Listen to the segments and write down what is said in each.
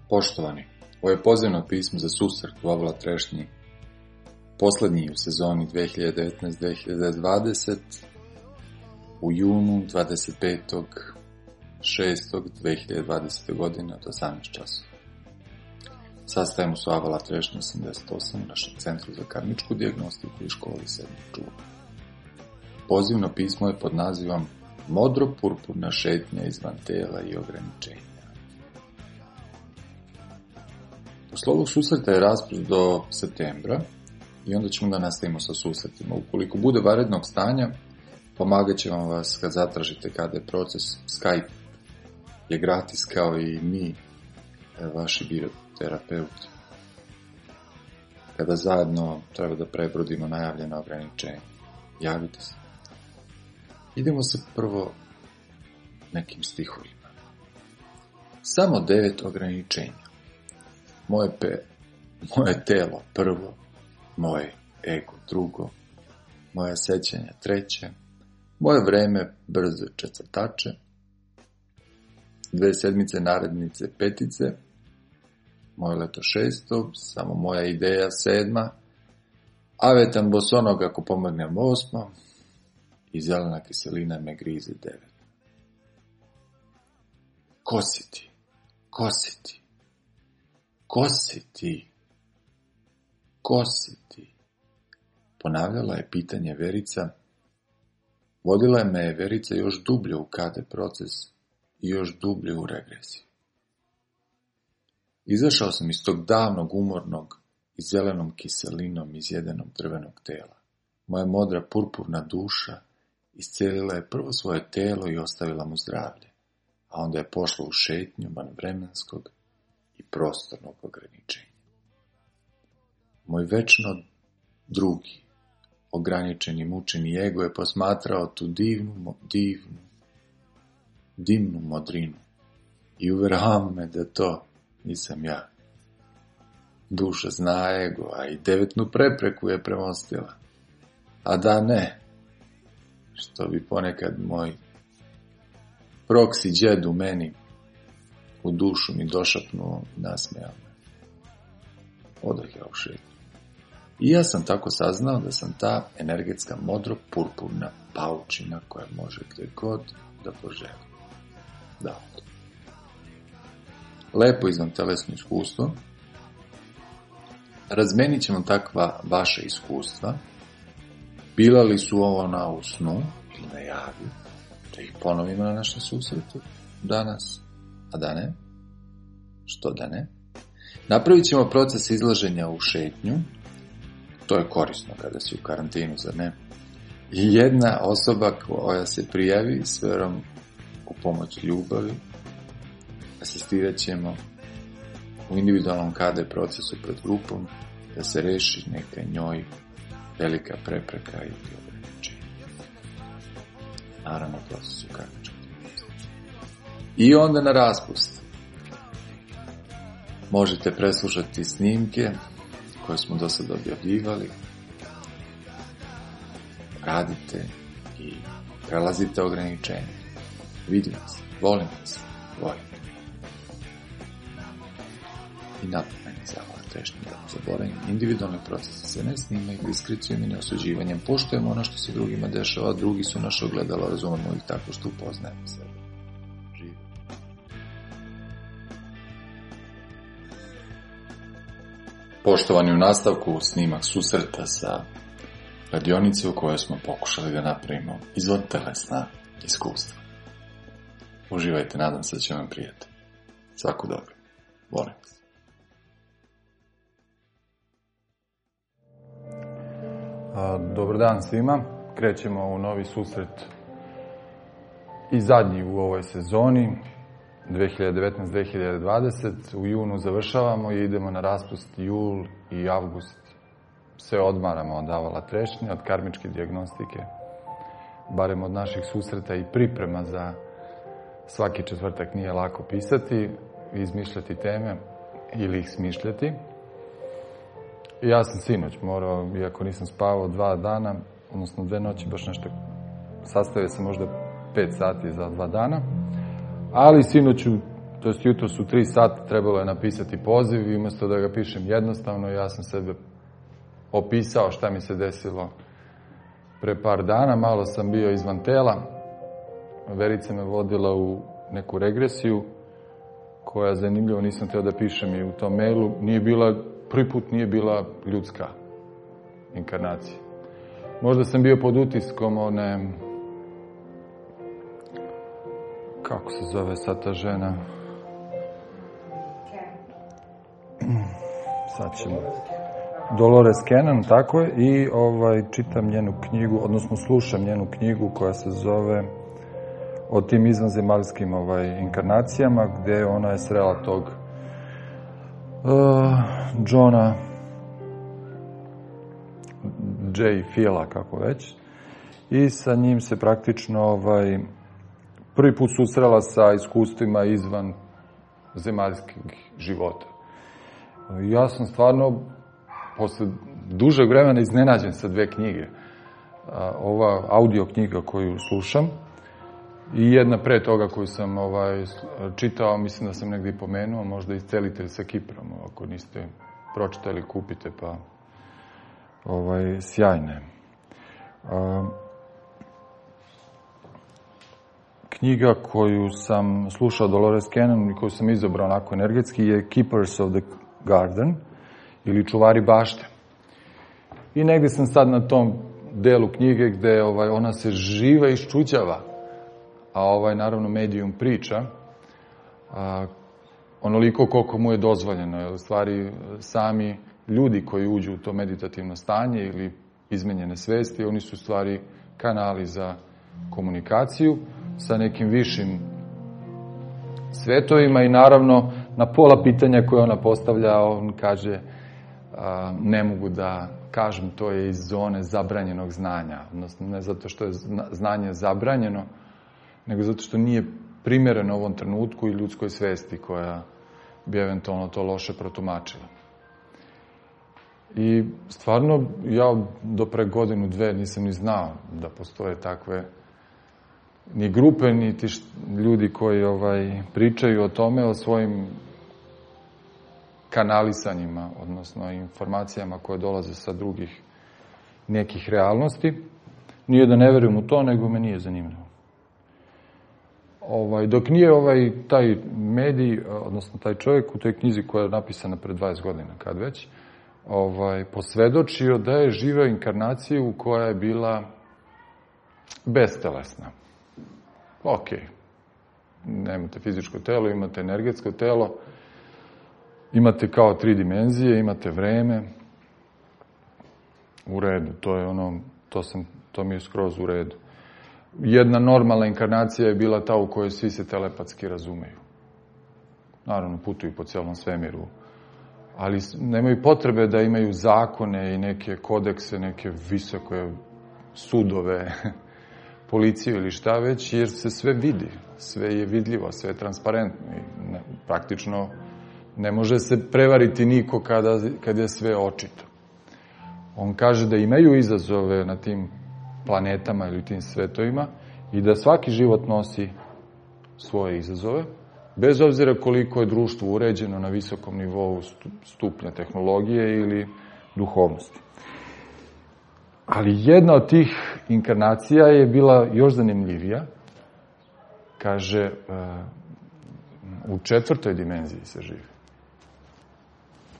Poštovani, ovo je pozivno pismo za susret u Avola Trešnji, poslednji u sezoni 2019-2020, u junu 25.6.2020. godine od 18 časova. Sastajemo se u Avola Trešnji 88 u našem centru za karmičku dijagnostiku i školi 7. čula. Pozivno pismo je pod nazivom Modro-purpurna šetnja izvan tela i ograničenja. Posle ovog susreta je raspust do septembra i onda ćemo da nastavimo sa susretima. Ukoliko bude vanrednog stanja, pomagat će vam vas kad zatražite kada je proces. Skype je gratis kao i mi, vaši bioterapeuti. Kada zajedno treba da prebrodimo najavljena ograničenja, javite se. Idemo se prvo nekim stihovima. Samo 9 ograničenja. Moje telo prvo, moje ego drugo, moja sećanja treće, moje vreme brzo četvrtače, 2 sedmice narednice petice, moje leto 6, samo moja ideja 7, avetan bosonog ako pomognem 8 i zelena kiselina me grize 9. Ko si ti? Ko si ti? Ko si ti? Ko si ti? Ponavljala je pitanje Verica. Vodila me je Verica još dublje u KD proces i još dublje u regresiju. Izašao sam iz tog davnog umornog i zelenom kiselinom izjedenog drvenog tela. Moja modra purpurna duša iscelila je prvo svoje telo i ostavila mu zdravlje, a onda je pošla u šetnju van vremenskog i prostornog ograničenja. Moj večno drugi, ograničeni, mučeni ego je posmatrao tu dimnu modrinu i uveravao me da to nisam ja. Duša zna ego, a i 9. prepreku je premostila. A da ne, što bi ponekad moj proksi džed u meni u dušu mi došapnuo i nasmejao me. Odah ja u šetnju. I ja sam tako saznao da sam ta energetska modro-purpurna paučina koja može gde god da poželi. Da. Lepo izvan telesno iskustvo. Razmenit ćemo takva vaša iskustva. Bila li su ona u snu ili na javi, da ih ponovimo na našem susretu danas, a da ne? Što da ne? Napravit ćemo proces izlaženja u šetnju, to je korisno kada si u karantinu, zar ne? I jedna osoba koja se prijavi s verom u pomoć ljubavi, asistirat ćemo u individualnom KD procesu pred grupom da se reši neka njoj velika prepreka ili ograničenja. Naravno, procesu karmičkog. I onda na raspust. Možete preslušati snimke koje smo do sada objavljivali. Radite i prelazite ograničenje. Vidim vas, volim vas, volim. I napomeni za Avola Trešnju da zaboravim. Individualni procesi se ne snimaju diskrecijom i neosuđivanjem. Poštujemo ono što se drugima dešava, drugi su naše ogledalo, razumemo ih tako što upoznajemo sebe. Živi. Poštovani, u nastavku snimak susreta sa radionice u kojoj smo pokušali da napravimo izvan telesna iskustva. Uživajte, nadam se da će vam prijati. Svako dobro. Volim vas. Dobar dan svima. Krećemo u novi susret i zadnji u ovoj sezoni 2019-2020. U junu završavamo i idemo na raspust jul i avgust. Se odmaramo od Avola Trešnje, od karmičke dijagnostike, barem od naših susreta i priprema za svaki četvrtak. Nije lako pisati, izmišljati teme ili ih smišljati. I ja sam sinoć morao, iako nisam spavao 2 dana, odnosno 2 noći, baš nešto, sastavio sam možda 5 sati za 2 dana, ali sinoć u to jest jutro su 3 sata, trebalo je napisati poziv i umjesto da ga pišem jednostavno, ja sam sebe opisao šta mi se desilo pre par dana, malo sam bio izvan tela, Verica me vodila u neku regresiju, koja zanimljivo, nisam htio da pišem i u tom mailu, prvi put nije bila ljudska inkarnacija. Možda sam bio pod utiskom one, kako se zove sad ta žena? Sad ćemo. Dolores Cannon, tako je, i čitam njenu knjigu, odnosno slušam njenu knjigu koja se zove o tim izvanzemaljskim inkarnacijama, gde ona je srela tog Johna J. Phila, kako već, i sa njim se praktično prvi put susrela sa iskustvima izvan zemaljskih života. Ja sam stvarno posle dužeg vremena iznenađen sa 2 knjige. Ova audio knjiga koju slušam i jedna pre toga koju sam čitao, mislim da sam negdje i pomenuo, možda Iscelitelj sa Kiprom, ako niste pročitali, kupite, pa sjajne. Knjiga koju sam slušao Dolores Cannon i koju sam izabrao onako energetski je Keepers of the Garden, ili Čuvari bašte. I negdje sam sad na tom delu knjige gde ona se živa iščuđava, a naravno medijum priča onoliko koliko mu je dozvoljeno. Jer u stvari sami ljudi koji uđu u to meditativno stanje ili izmenjene svesti, oni su u stvari kanali za komunikaciju sa nekim višim svetovima i naravno na pola pitanja koje ona postavlja, on kaže ne mogu da kažem, to je iz zone zabranjenog znanja. Odnosno, ne zato što je znanje zabranjeno, nego zato što nije primereno ovom trenutku i ljudskoj svesti koja bi eventualno to loše protumačila. I stvarno, ja do pre 1-2 nisam ni znao da postoje takve ni grupe, ni ti ljudi koji pričaju o tome, o svojim kanalisanjima, odnosno informacijama koje dolaze sa drugih nekih realnosti. Nije da ne verujem u to, nego me nije zanimljivo. Dok nije taj medij, odnosno taj čovjek u toj knjizi koja je napisana pred 20 godina, kad već, posvedočio da je živeo inkarnaciju koja je bila bestelesna. Ok, nemate fizičko telo, imate energetsko telo, imate kao 3 dimenzije, imate vreme, u redu, to mi je skroz u redu. Jedna normalna inkarnacija je bila ta u kojoj svi se telepatski razumeju. Naravno, putuju po cijelom svemiru, ali nemaju potrebe da imaju zakone i neke kodekse, neke visoke sudove, policiju ili šta već, jer se sve vidi, sve je vidljivo, sve je transparentno i praktično ne može se prevariti niko kad je sve očito. On kaže da imaju izazove na tim planetama ili tim svetovima i da svaki život nosi svoje izazove, bez obzira koliko je društvo uređeno na visokom nivou stupnja tehnologije ili duhovnosti. Ali jedna od tih inkarnacija je bila još zanimljivija. Kaže, u 4. dimenziji se živi.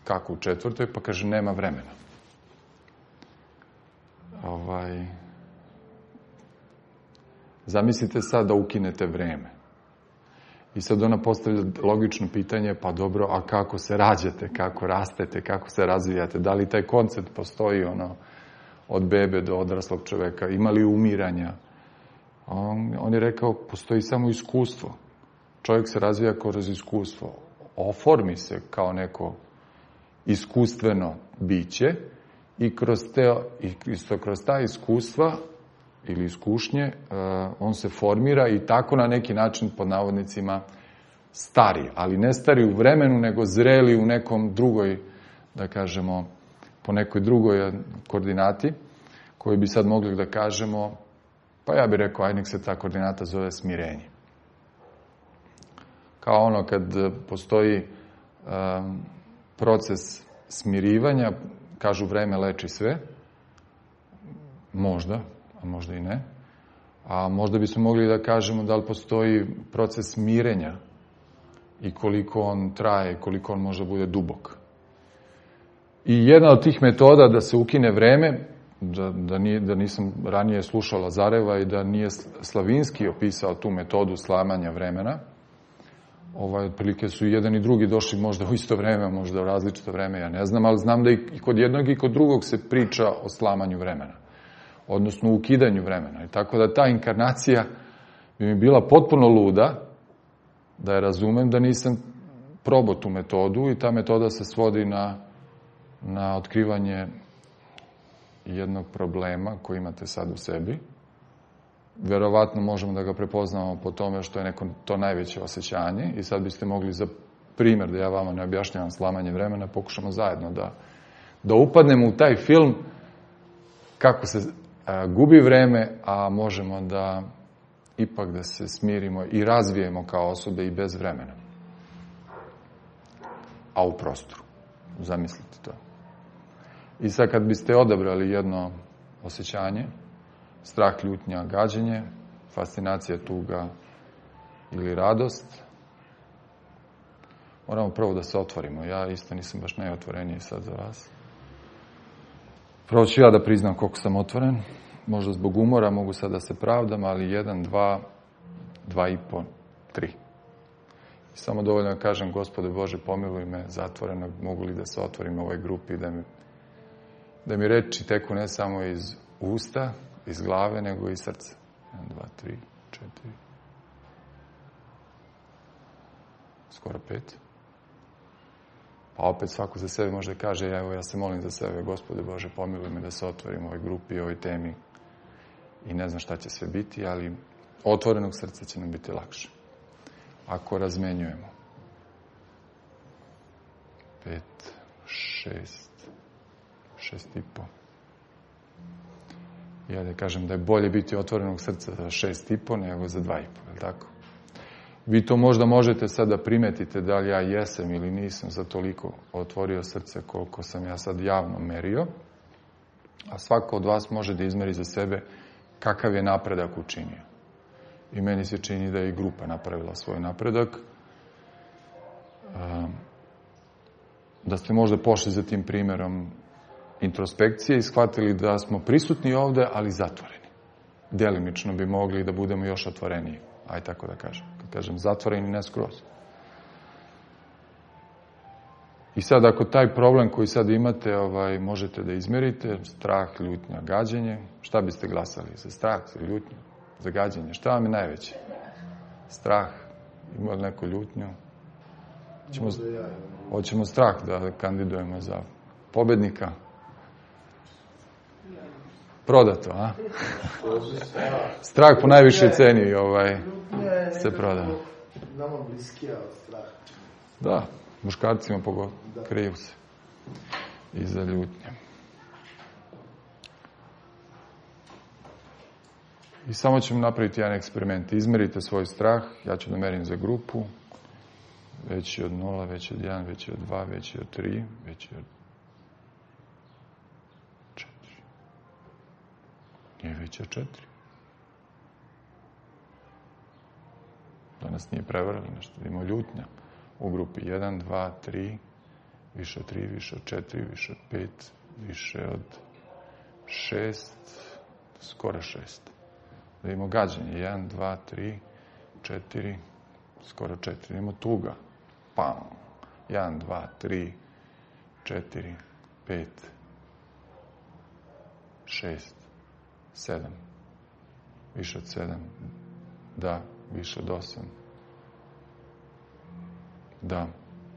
Kako u 4? Pa kaže, nema vremena. Zamislite sad da ukinete vreme. I sad ona postavlja logično pitanje, pa dobro, a kako se rađate, kako rastete, kako se razvijate, da li taj koncept postoji od bebe do odraslog čoveka, ima li umiranja? On je rekao, postoji samo iskustvo. Čovjek se razvija kroz iskustvo. Oformi se kao neko iskustveno biće i kroz ta iskustva ili iskušnje on se formira i tako na neki način, pod navodnicima, stari. Ali ne stari u vremenu, nego zreli u nekom drugoj, da kažemo, po nekoj drugoj koordinati, koju bi sad mogli da kažemo, pa ja bih rekao, nek se ta koordinata zove smirenje. Kao ono kad postoji proces smirivanja, kažu vreme leči sve, možda, a možda i ne, a možda bismo mogli da kažemo da li postoji proces mirenja i koliko on traje, koliko on može bude dubok. I jedna od tih metoda da se ukine vreme, da nisam ranije slušao Lazareva i da nije Slavinski opisao tu metodu slamanja vremena, otprilike su jedan i drugi došli možda u isto vreme, možda u različito vreme, ja ne znam, ali znam da i kod jednog i kod drugog se priča o slamanju vremena, odnosno ukidanju vremena. I tako da ta inkarnacija bi mi bila potpuno luda, da je razumem, da nisam probao tu metodu i ta metoda se svodi na otkrivanje jednog problema koji imate sad u sebi. Verovatno možemo da ga prepoznamo po tome što je neko to najveće osjećanje i sad biste mogli za primjer, da ja vama ne objašnjavam slamanje vremena, pokušamo zajedno da upadnemo u taj film kako se gubi vreme, a možemo da ipak da se smirimo i razvijemo kao osobe i bez vremena. A u prostoru. Zamislite to. I sad kad biste odabrali jedno osjećanje, strah, ljutnja, gađenje, fascinacija, tuga ili radost, moramo prvo da se otvorimo. Ja isto nisam baš najotvoreniji sad za vas. Prvo ću ja da priznam koliko sam otvoren. Možda zbog umora mogu sad da se pravdam, ali 1, 2, 2,5, 3. I samo dovoljno da kažem, Gospode Bože, pomiluj me zatvorenog, mogu li da se otvorim u ovoj grupi, da mi reči teku ne samo iz usta, iz glave, nego i iz srca. 1, 2, 3, 4. Skoro 5. Pa opet svako za sebe može da kaže, evo ja se molim za sebe, Gospode Bože, pomiluj me da se otvorim u ovoj grupi, u ovoj temi. I ne znam šta će sve biti, ali otvorenog srca će nam biti lakše. Ako razmenjujemo. 5, 6, 6,5. Ja da kažem da je bolje biti otvorenog srca za 6,5 nego za 2,5, je li tako? Vi to možda možete sad da primetite da li ja jesam ili nisam za toliko otvorio srce koliko sam ja sad javno merio, a svako od vas može da izmeri za sebe kakav je napredak učinio. I meni se čini da je i grupa napravila svoj napredak. Da ste možda pošli za tim primjerom introspekcije i shvatili da smo prisutni ovde, ali zatvoreni. Delimično bi mogli da budemo još otvoreniji. Aj tako da kažem. Kad kažem zatvoreni, ne skroz. I sad ako taj problem koji sad imate možete da izmerite, strah, ljutnja, gađenje, šta biste glasali? Za strah, za ljutnju, za gađenje? Šta vam je najveće? Strah? Ima li neko ljutnju? Hoćemo strah da kandidujemo za pobednika? Prodato, a? Strah po najvišoj ceni se proda. Nama bliskija od straha. Da, muškarcima pogotovo, kriju se iza ljutnje. I samo ćemo napraviti jedan eksperiment. Izmerite svoj strah, ja ću da merim za grupu, veći od 0, veći od 1, veći od 2, veći od 3, veći od 4. Nije veći od 4. Danas nije prevarali nešto, da ima ljutnja u grupi 1, 2, 3, više od 3, više od 4, više od 5, više od 6, skoro 6. Da imamo gađanje, 1, 2, 3, 4, skoro 4. Da imamo tuga, pam, 1, 2, 3, 4, 5, 6, 7, više od 7, da, više od 8, da,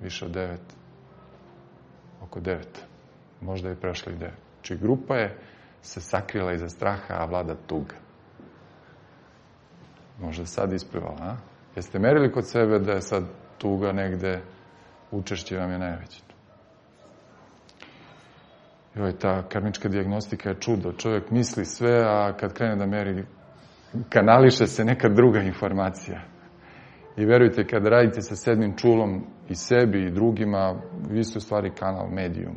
više od 9, oko 9, možda je prešla i 9. Znači grupa je se sakrila iza straha, a vlada tuga. Možda sad isplivala, a? Jeste merili kod sebe da je sad tuga negde, učešće vam je najveće? Ta karmička dijagnostika je čudo. Čovjek misli sve, a kad krene da meri, kanališe se neka druga informacija. I verujte, kada radite sa sedmim čulom i sebi i drugima, vi ste u stvari kanal, medijum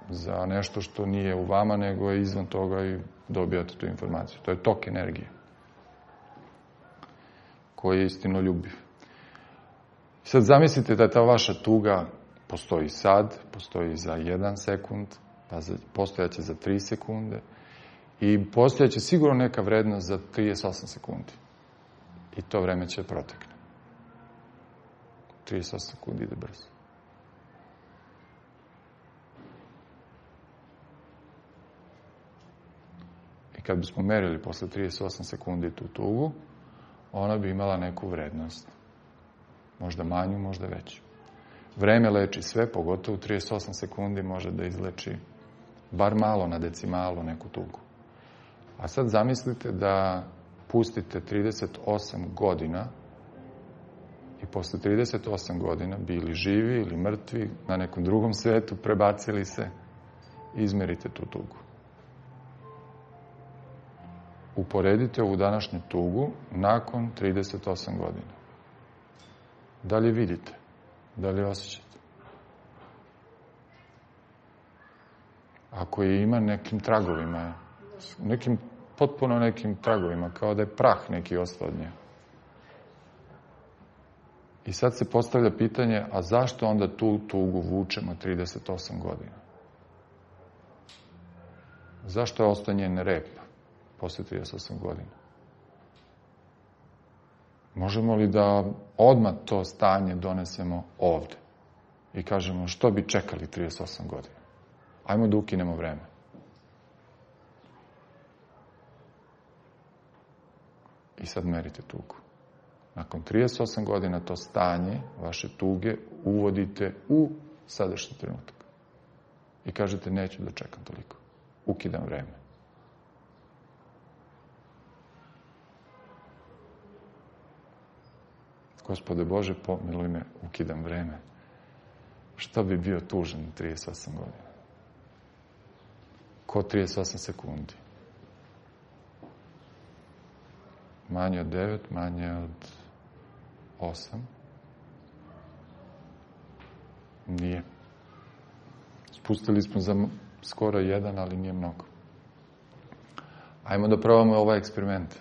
za nešto što nije u vama, nego je izvan toga i dobijate tu informaciju. To je tok energije koji je istinoljubiv. Sad zamislite da ta vaša tuga postoji sad, postoji za 1 sekund, pa postojaće za 3 sekunde i postojaće sigurno neka vrednost za 38 sekundi. I to vreme će protekne. 38 sekundi ide brzo. I kad bismo merili posle 38 sekundi tu tugu, ona bi imala neku vrednost. Možda manju, možda veću. Vreme leči sve, pogotovo 38 sekundi može da izleči bar malo na decimalu neku tugu. A sad zamislite da pustite 38 godina i posle 38 godina bili živi ili mrtvi na nekom drugom svetu, prebacili se, izmerite tu tugu. Uporedite ovu današnju tugu nakon 38 godina. Da li vidite? Da li osjećate? Ako je ima nekim tragovima, potpuno nekim tragovima, kao da je prah neki ostao od nje. I sad se postavlja pitanje, a zašto onda tu tugu vučemo 38 godina? Zašto je ostao njen rep posle 38 godina? Možemo li da odmah to stanje donesemo ovde i kažemo što bi čekali 38 godina? Ajmo da ukinemo vreme. I sad merite tugu. Nakon 38 godina to stanje vaše tuge uvodite u sadašnji trenutak. I kažete neću da čekam toliko. Ukidam vreme. Gospode Bože, pomiluj me, ukidam vreme. Što bi bio tužan 38 godina? Ko 38 sekundi? Manje od 9, manje od 8. Nije. Spustili smo za skoro 1, ali nije mnogo. Ajmo da probamo ovaj eksperiment.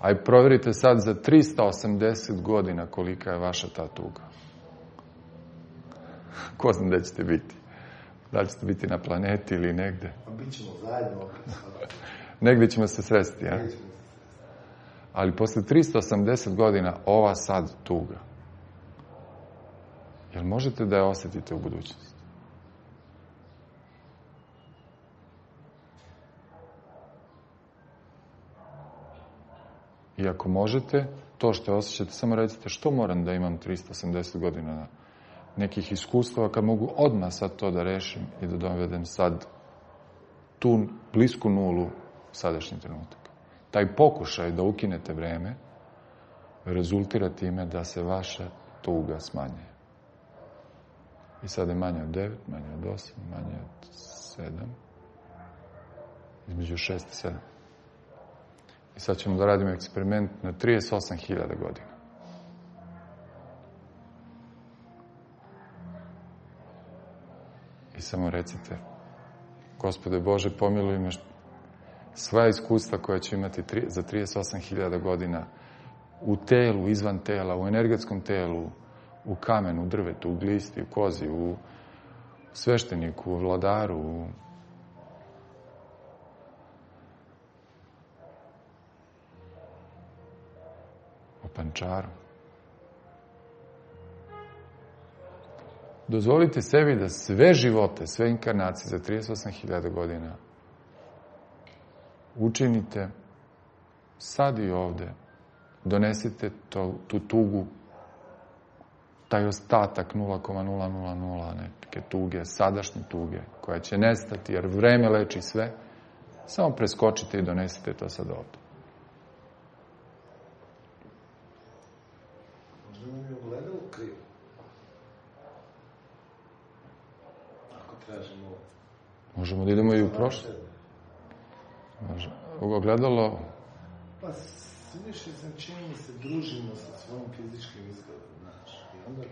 Aj proverite sad za 380 godina kolika je vaša ta tuga. Ko zna gde ćete biti? Da li ćete biti na planeti ili negde? Bićemo zajedno opet. Negde ćemo se sresti, ja? Ali posle 380 godina ova sad tuga, jel možete da je osetite u budućnosti? I ako možete, to što osjećate, samo recite što moram da imam 380 godina nekih iskustava kad mogu odmah sad to da rešim i da dovedem sad tu blisku nulu sadašnji trenutak. Taj pokušaj da ukinete vreme rezultira time da se vaša tuga smanjuje. I sad je manje od 9, manje od 8, manje od 7, između 6 i 7. I sad ćemo da radimo eksperiment na 38.000 godina. I samo recite, Gospode Bože, pomiluj me sva iskustva koja ću imati za 38.000 godina u telu, izvan tela, u energetskom telu, u kamenu, u drvetu, u glisti, u kozi, u svešteniku, u vladaru, u pančaru. Dozvolite sebi da sve živote, sve inkarnacije za 38.000 godina učinite sad i ovde. Donesite tu tugu, taj ostatak 0,000 neke tuge, sadašnje tuge, koja će nestati, jer vreme leči sve. Samo preskočite i donesite to sad ovde. Možda nam je ogledalo krivo. Ako tražimo... Možemo da idemo i u prošlost. Ogledalo... Pa sve više čini mi se družimo sa svojim fizičkim izgledom, znaš, i onda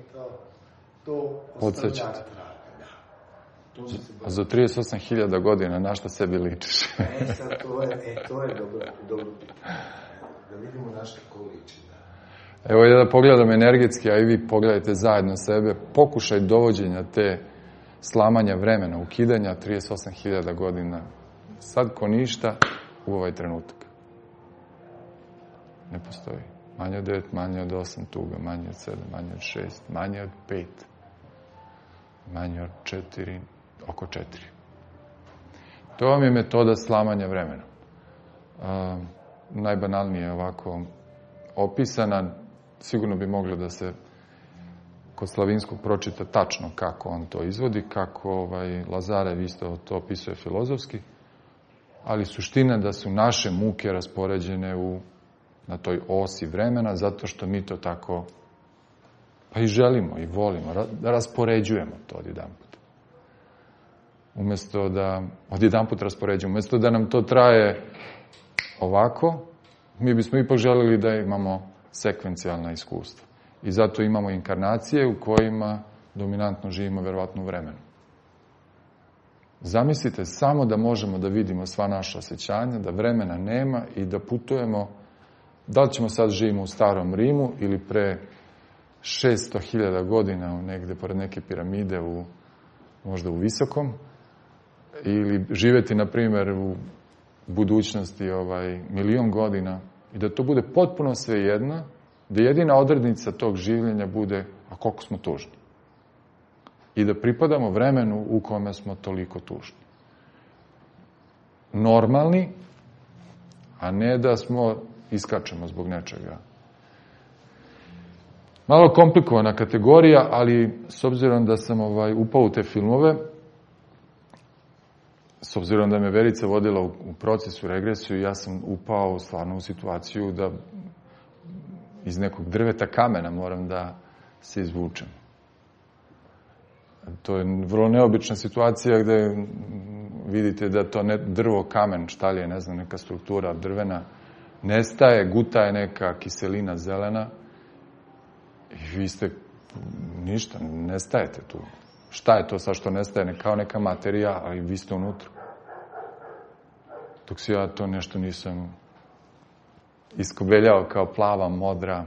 to ostavlja traga, da. A za 38.000 godina na šta sebi ličiš? Sad to je dobro pitanje. Da vidimo na šta ko liči, da. Evo ja da pogledam energetski, a i vi pogledajte zajedno sebe, pokušaj dovođenja te slamanja vremena, ukidanja 38.000 godina, sad ko ništa u ovaj trenutak. Ne postoji. Manje od 9, manje od 8 tuga, manje od 7, manje od 6, manje od 5, manje od 4, oko 4. To vam je metoda slamanja vremena. Najbanalnije ovako opisana, sigurno bi moglo da se kod Slavinskog pročita tačno kako on to izvodi, kako Lazarev isto to opisuje filozofski, ali suština da su naše muke raspoređene na toj osi vremena, zato što mi to tako pa i želimo i volimo, da raspoređujemo to odjedanput. Umjesto da odjedanput raspoređujemo, umjesto da nam to traje ovako, mi bismo ipak želeli da imamo sekvencijalna iskustva. I zato imamo inkarnacije u kojima dominantno živimo verovatno u vremenu. Zamislite samo da možemo da vidimo sva naša osjećanja, da vremena nema i da putujemo, da li ćemo sad živimo u starom Rimu ili pre 600.000 godina negde pored neke piramide možda u Visokom, ili živeti, na primjer, u budućnosti 1.000.000 godina i da to bude potpuno svejedno, da jedina odrednica tog življenja bude, a koliko smo tužni. I da pripadamo vremenu u kome smo toliko tužni. Normalni, a ne da iskačemo zbog nečega. Malo komplikovana kategorija, ali s obzirom da sam upao u te filmove, s obzirom da me Verica vodila u procesu, regresiju, ja sam upao stvarno u situaciju da iz nekog drveta kamena moram da se izvučem. To je vrlo neobična situacija gde vidite da to ne drvo, kamen, šta li je, ne znam, neka struktura drvena, nestaje, guta je neka kiselina zelena i vi ste ništa, nestajete tu. Šta je to sad što nestaje? Kao neka materija, ali vi ste unutra. Dok se ja to nešto nisam iskobeljao kao plava, modra,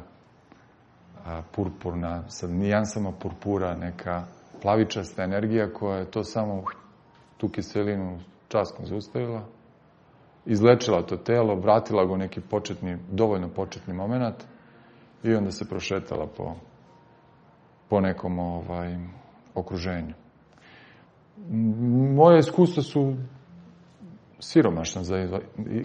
purpurna, sa nijansama purpura, neka plavičasta energija koja je to samo tu kiselinu časkom zaustavila, izlečila to telo, vratila ga u neki dovoljno početni moment i onda se prošetala po nekom okruženju. Moje iskustva su siromašna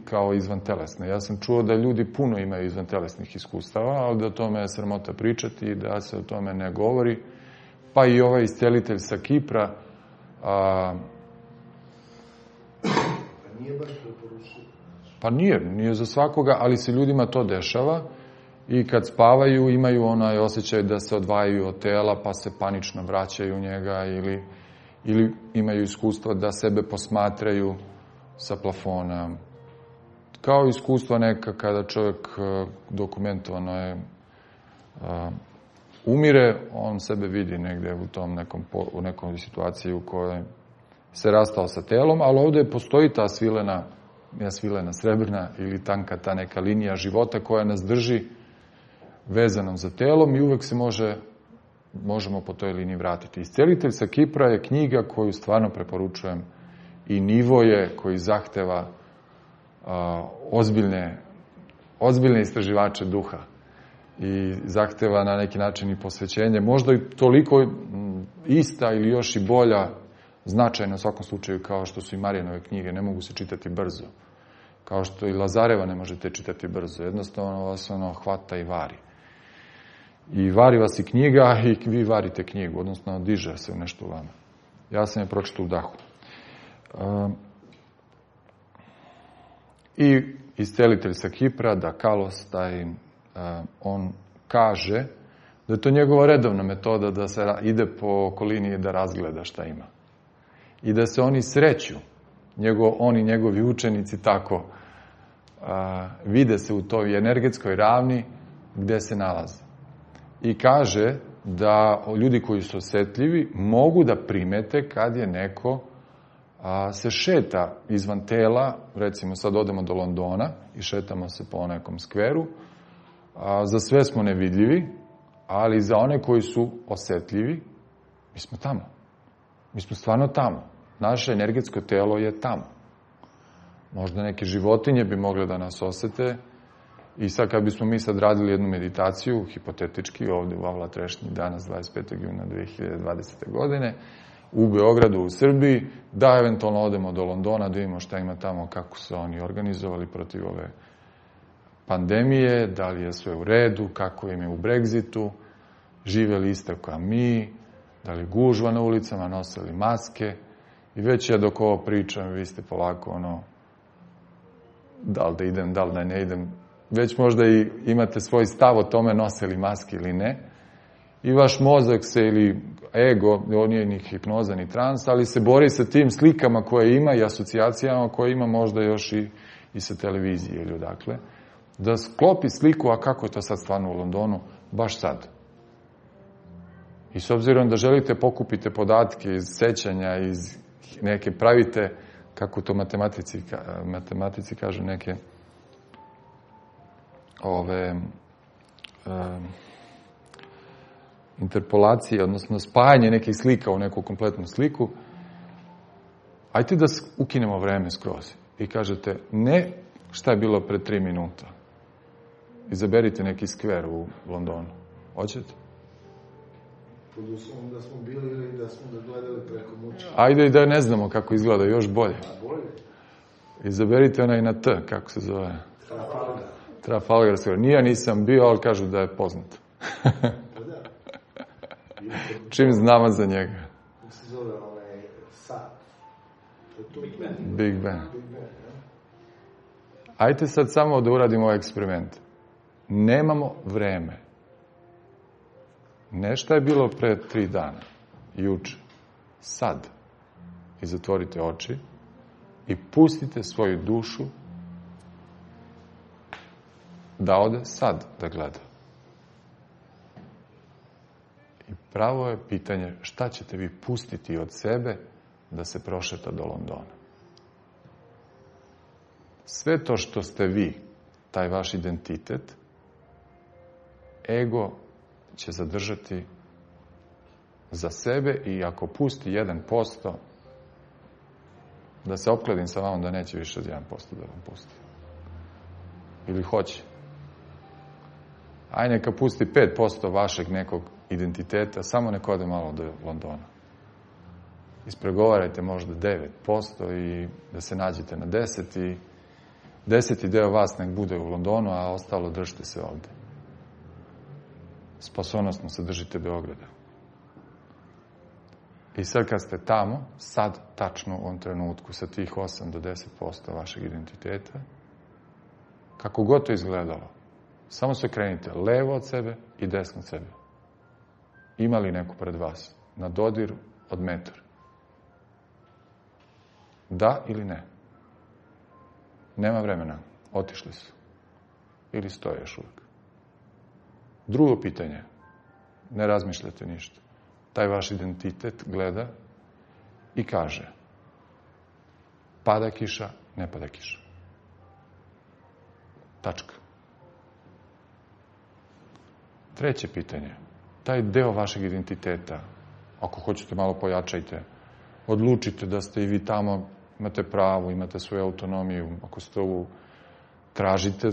kao izvantelesna. Ja sam čuo da ljudi puno imaju izvantelesnih iskustava, ali da o tome je sramota pričati i da se o tome ne govori. Pa i ovaj iscelitelj sa Kipra. Nije baš preporučio. Pa nije za svakoga, ali se ljudima to dešava i kad spavaju imaju onaj osjećaj da se odvajaju od tela pa se panično vraćaju u njega ili imaju iskustvo da sebe posmatraju sa plafona. Kao iskustvo neka kada čovjek dokumentovano je umire, on sebe vidi negdje u nekoj situaciji u kojoj se rastao sa telom, ali ovdje postoji ta svilena srebrna ili tanka ta neka linija života koja nas drži vezanom za telom i uvek se možemo po toj liniji vratiti. Iscelitelj sa Kipra je knjiga koju stvarno preporučujem i nivo je koji zahteva ozbiljne istraživače duha i zahteva na neki način i posvećenje. Možda i toliko ista ili još i bolja značajna u svakom slučaju kao što su i Marijanove knjige. Ne mogu se čitati brzo. Kao što i Lazareva ne možete čitati brzo. Jednostavno vas hvata i vari. I vari vas i knjiga i vi varite knjigu. Odnosno diže se u nešto u vama. Ja sam je pročitao u dahu. I iscelitelj sa Kipra, Dakalos, on kaže da je to njegova redovna metoda da se ide po okolini i da razgleda šta ima. I da se oni sreću, on i njegovi učenici tako vide se u toj energetskoj ravni gde se nalaze. I kaže da ljudi koji su osetljivi mogu da primete kad je neko se šeta izvan tela, recimo sad odemo do Londona i šetamo se po nekom skveru, za sve smo nevidljivi, ali za one koji su osetljivi, mi smo tamo. Mi smo stvarno tamo. Naše energetsko telo je tamo. Možda neke životinje bi mogle da nas osete i sad kad bismo mi sad radili jednu meditaciju, hipotetički, ovde u Avla Trešnji, danas 25. juna 2020. godine, u Beogradu, u Srbiji, da eventualno odemo do Londona, da vidimo šta ima tamo, kako su oni organizovali protiv ove pandemije, da li je sve u redu, kako im je u Brexitu, žive li isto kao mi, da li gužva na ulicama, nosili maske. I već ja dok ovo pričam, vi ste polako da li da idem, da li da ne idem, već možda i imate svoj stav o tome nose li maske ili ne. I vaš mozak se ili ego, on nije ni hipnoza ni trans, ali se bori sa tim slikama koje ima i asocijacijama koje ima možda još i sa televizije ili odakle. Da sklopi sliku, a kako je to sad stvarno u Londonu, baš sad. I s obzirom da želite pokupite podatke iz sećanja, iz neke pravite, kako to matematici kažu, neke interpolacije, odnosno spajanje nekih slika u neku kompletnu sliku, ajte da ukinemo vreme skroz. I kažete, ne šta je bilo pre 3 minuta. Izaberite neki skver u Londonu. Hoćete? Pod uslovom da smo bili ili da smo ga gledali preko muča. Ajde i da ne znamo kako izgleda, još bolje. A bolje? Izaberite onaj na T, kako se zove? Trafalgar. Trafalgar skver. Nije, nisam bio, ali kažu da je poznat. Čim znamo za njega? Kako se zove onaj sat? Big Ben. Big Ben. Big Ben, ja? Ajde sad samo da uradimo ovaj eksperiment. Nemamo vreme. Nešto je bilo pre 3 dana, juče, sad. I zatvorite oči i pustite svoju dušu da ode sad da gleda. I pravo je pitanje šta ćete vi pustiti od sebe da se prošeta do Londona. Sve to što ste vi, taj vaš identitet, ego će zadržati za sebe i ako pusti 1%, da se opkladim sa vama da neće više od 1% da vam pusti. Ili hoće. Aj neka pusti 5% vašeg nekog identiteta, samo neko ode malo do Londona. Ispregovarajte možda 9% i da se nađete na 10 i 10. deo vas nek bude u Londonu, a ostalo držite se ovde. Spasonosno se držite Beograda. I sad kad ste tamo, sad tačno u ovom trenutku sa tih 8 do 10% vašeg identiteta, kako god to izgledalo, samo se krenite levo od sebe i desno od sebe. Ima li neko pred vas? Na dodiru od metar. Da ili ne? Nema vremena. Otišli su. Ili stoje još uvijek. Drugo pitanje. Ne razmišljate ništa. Taj vaš identitet gleda i kaže pada kiša, ne pada kiša. Tačka. Treće pitanje. Taj deo vašeg identiteta, ako hoćete malo pojačajte, odlučite da ste i vi tamo, imate pravo, imate svoju autonomiju, ako ste ovo tražite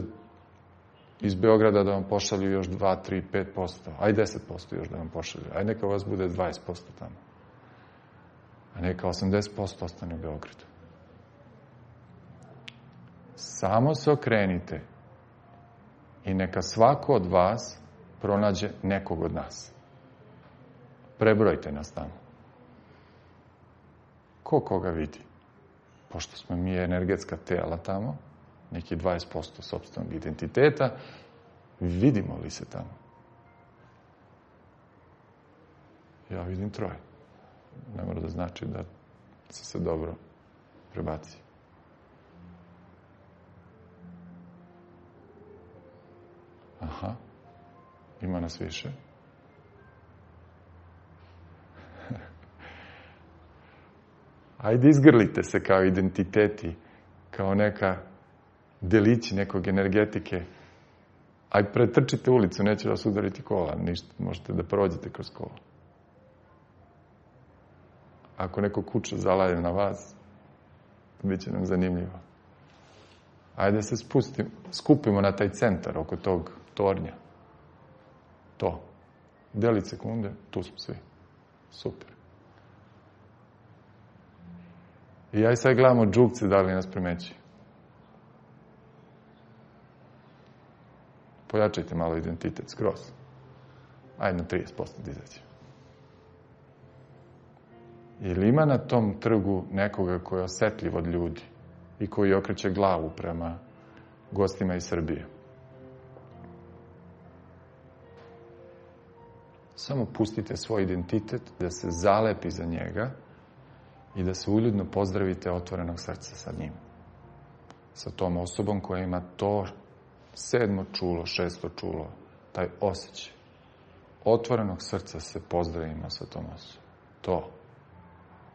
iz Beograda da vam pošalju još 2, 3, 5%, aj 10% još da vam pošalju, aj neka vas bude 20% tamo, a neka 80% ostane u Beogradu. Samo se okrenite i neka svako od vas pronađe nekog od nas. Prebrojte nas tamo. Ko koga vidi? Pošto smo mi energetska tela tamo, neki 20% sopstvenog identiteta, vidimo li se tamo? Ja vidim 3. Ne mora da znači da se dobro prebaci. Aha, ima nas više. Ajde, izgrlite se kao identiteti, kao neka delići nekog energetike. Ajde, pretrčite ulicu, neće vas udariti kola, ništa, možete da prođete kroz kola. Ako neko kuća zalaje na vas, bit će nam zanimljivo. Ajde se skupimo na taj centar oko tog tornja. To. Delić sekunde, tu smo svi. Super. I aj sad gledamo džukce da li nas primeći. Pojačajte malo identitet, skroz. Ajde na 30% da izađe. Ili ima na tom trgu nekoga koji je osetljiv od ljudi i koji okreće glavu prema gostima iz Srbije? Samo pustite svoj identitet da se zalepi za njega i da se uljudno pozdravite otvorenog srca sa njim. Sa tom osobom koja ima to 7. čulo, 6. čulo, taj osjećaj. Otvorenog srca se pozdravimo sa tom osobom. To.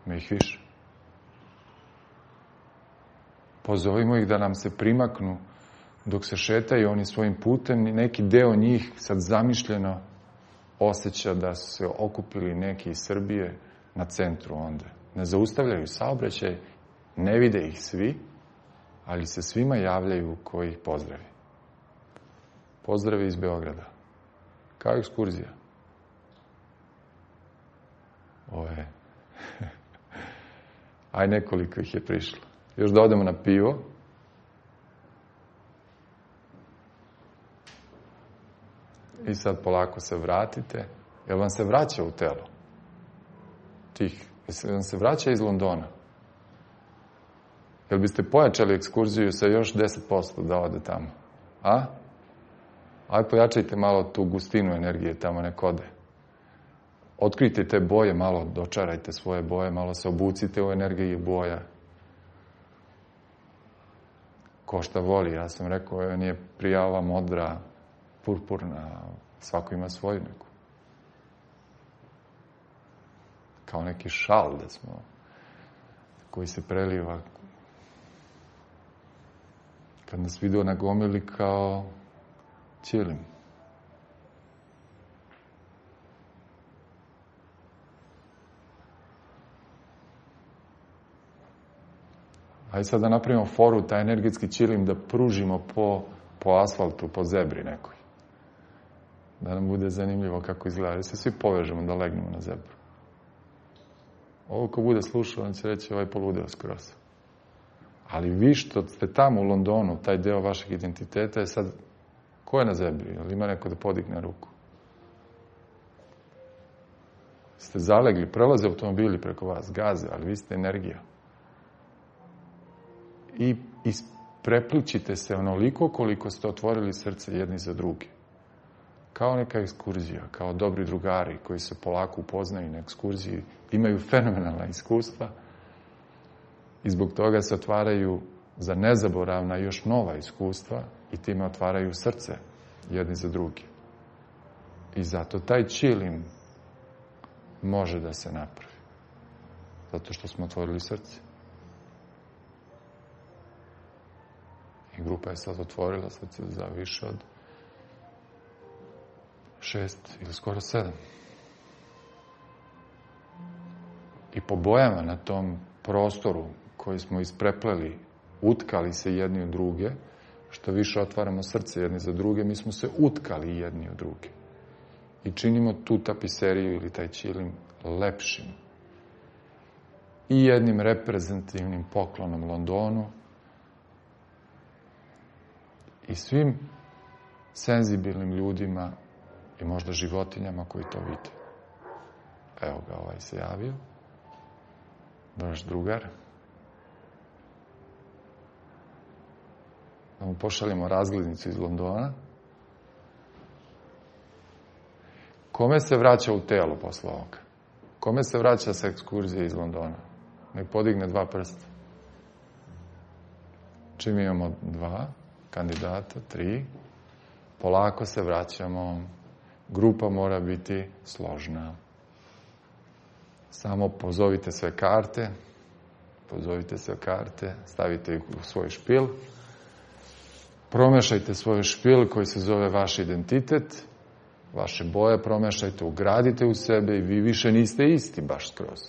Ima ih više. Pozovimo ih da nam se primaknu dok se šetaju oni svojim putem i neki deo njih sad zamišljeno osjeća da su se okupili neki iz Srbije na centru onda. Ne zaustavljaju saobraćaj, ne vide ih svi, ali se svima javljaju koji ih pozdravi. Pozdravi iz Beograda. Kao ekskurzija. Ovo je... Aj, nekoliko ih je prišlo. Još da odemo na pivo. I sad polako se vratite. Jel vam se vraća u telo? Jel vam se vraća iz Londona? Jel biste pojačali ekskurziju sa još 10% da ode tamo? A? Aj, pojačajte malo tu gustinu energije tamo nek ode. Otkrite te boje, malo dočarajte svoje boje, malo se obucite u energiji boja. Ko šta voli, ja sam rekao, nije prijava modra, purpurna, svako ima svoju neku. Kao neki šal da smo, koji se preliva. Kad nas video nagomili kao ćilim. Ajde sad da napravimo foru, taj energetski ćilim da pružimo po asfaltu, po zebri nekoj. Da nam bude zanimljivo kako izgleda. Da se svi povežemo da legnemo na zebru. Ovo ko bude slušao, on će reći ovaj poludeo skroz. Ali vi što ste tamo u Londonu, taj deo vašeg identiteta je sad, ko je na zebri? Ili ima neko da podigne ruku? Ste zalegli, prelaze automobili preko vas, gaze, ali vi ste energija. I prepličite se onoliko koliko ste otvorili srce jedni za drugi. Kao neka ekskurzija, kao dobri drugari koji se polako upoznaju na ekskurziji, imaju fenomenalna iskustva i zbog toga se otvaraju za nezaboravna još nova iskustva i time otvaraju srce jedni za drugi. I zato taj ćilim može da se napravi. Zato što smo otvorili srce. I grupa je sad otvorila srce za više od 6 ili skoro 7. I po bojama na tom prostoru koji smo isprepleli, utkali se jedni u druge, što više otvaramo srce jedni za druge, mi smo se utkali jedni u druge. I činimo tu tapiseriju ili taj ćilim lepšim. I jednim reprezentativnim poklonom Londonu i svim senzibilnim ljudima i možda životinjama koji to vide. Evo ga, ovaj se javio. Naš drugar. Da mu pošaljemo razglednicu iz Londona. Kome se vraća u telo posle ovoga? Kome se vraća sa ekskurzije iz Londona? Nek podigne 2 prsta. Čim imamo 2 kandidata, 3, polako se vraćamo. Grupa mora biti složna. Samo pozovite sve karte, stavite ih u svoj špil, promešajte svoj špil koji se zove vaš identitet, vaše boje promešajte, ugradite u sebe i vi više niste isti baš skroz.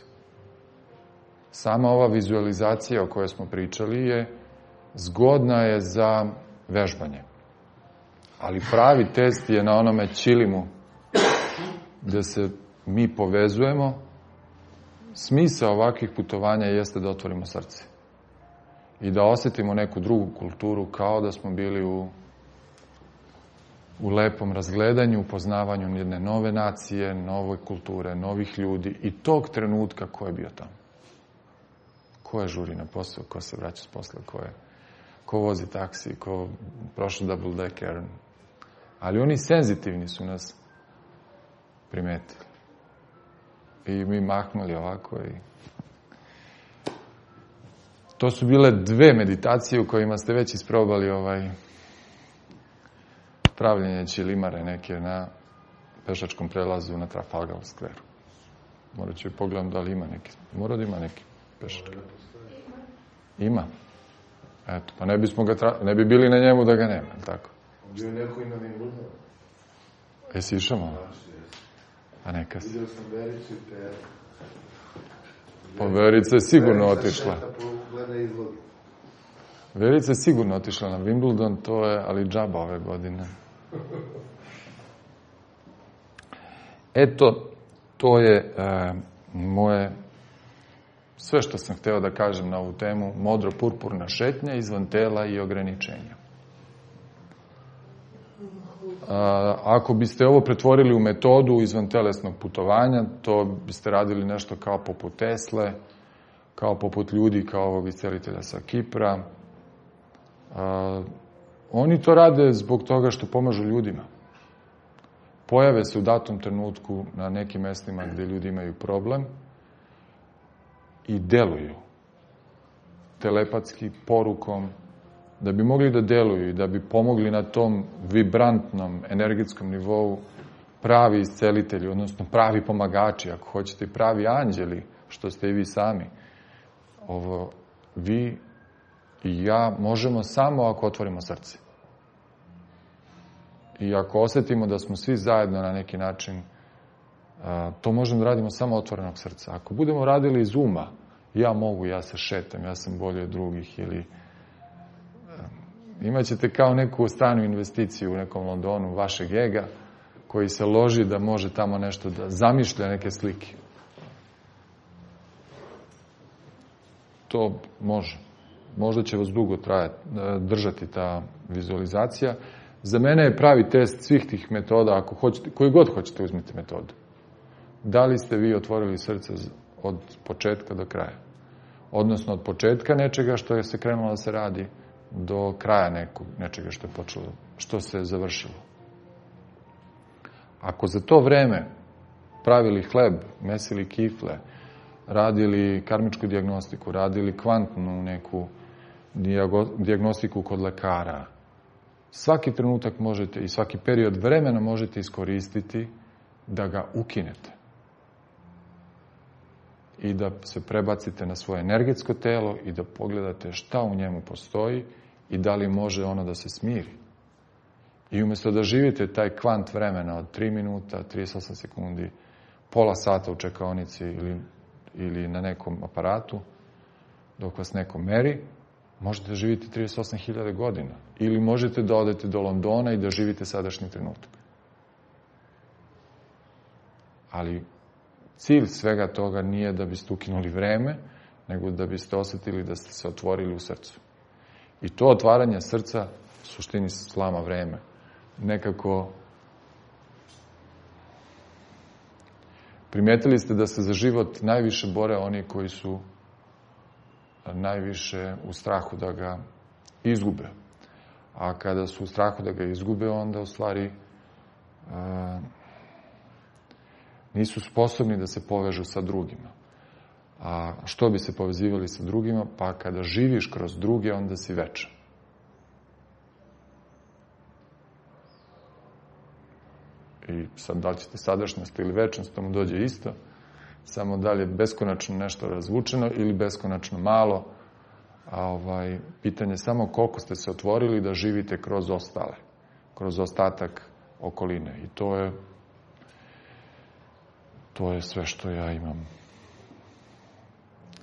Sama ova vizualizacija o kojoj smo pričali zgodna je za vežbanje. Ali pravi test je na onome ćilimu gde se mi povezujemo. Smisao ovakvih putovanja jeste da otvorimo srce i da osetimo neku drugu kulturu kao da smo bili u lepom razgledanju, upoznavanju jedne nove nacije, nove kulture, novih ljudi i tog trenutka ko je bio tamo. Ko je žuri na posao, ko se vraća s posla, ko vozi taksi, ko prošao double decker. Ali oni senzitivni su nas primetili. I mi mahnuli ovako i... To su bile 2 meditacije u kojima ste već isprobali pravljenje ćilimare neke na pešačkom prelazu na Trafalgar Square. Morat ću i pogledam da li ima neki. Mora da ima neki pešački. Ima. Eto, pa ne bi bili na njemu da ga nema, ili tako? Bio je neko i na Wimbledonu. Jesi išao malo? Pa neka si. Vidio sam Vericu i Peru. Pa Verica je sigurno otišla. Verica je sigurno otišla na Wimbledon, to je, ali džaba ove godine. Eto, to je moje, sve što sam hteo da kažem na ovu temu, modro-purpurna šetnja izvan tela i ograničenja. Ako biste ovo pretvorili u metodu izvan telesnog putovanja, to biste radili nešto kao poput Tesle, kao poput ljudi, kao ovog iscelitelja sa Kipra. Oni to rade zbog toga što pomažu ljudima. Pojave se u datom trenutku na nekim mestima gde ljudi imaju problem i deluju telepatski, porukom, da bi mogli da deluju i da bi pomogli na tom vibrantnom energetskom nivou pravi iscelitelji, odnosno pravi pomagači, ako hoćete, pravi anđeli, što ste i vi sami. Vi i ja možemo samo ako otvorimo srce. I ako osetimo da smo svi zajedno na neki način, to možemo da radimo samo otvorenog srca. Ako budemo radili iz uma, ja mogu, ja se šetam, ja sam bolji od drugih, ili imaćete kao neku stranu investiciju u nekom Londonu vašeg ega, koji se loži da može tamo nešto da zamišlja neke slike. To može. Možda će vas dugo držati ta vizualizacija. Za mene je pravi test svih tih metoda, ako hoćete, koji god hoćete uzmite metodu. Da li ste vi otvorili srce od početka do kraja? Odnosno od početka nečega što je se krenulo da se radi do kraja nečega što je počelo, što se je završilo. Ako za to vreme pravili hleb, mesili kifle, radili karmičku dijagnostiku, radili kvantnu neku dijagnostiku kod lekara, svaki trenutak možete i svaki period vremena možete iskoristiti da ga ukinete. I da se prebacite na svoje energetsko telo i da pogledate šta u njemu postoji i da li može ono da se smiri. I umjesto da živite taj kvant vremena od 3 minuta, 38 sekundi, pola sata u čekaonici ili na nekom aparatu, dok vas neko meri, možete da živite 38.000 godina. Ili možete da odete do Londona i da živite sadašnji trenutak. Ali cilj svega toga nije da biste ukinuli vreme, nego da biste osetili da ste se otvorili u srcu. I to otvaranje srca u suštini slama vreme. Nekako primetili ste da se za život najviše bore oni koji su najviše u strahu da ga izgube. A kada su u strahu da ga izgube, onda u stvari nisu sposobni da se povežu sa drugima. A što bi se povezivali sa drugima? Pa kada živiš kroz druge, onda si večan. i sad da li ćete sadašnjost ili večnost, to mu dođe isto, samo da li je beskonačno nešto razvučeno ili beskonačno malo, a pitanje je samo koliko ste se otvorili da živite kroz ostale, kroz ostatak okoline. I to je sve što ja imam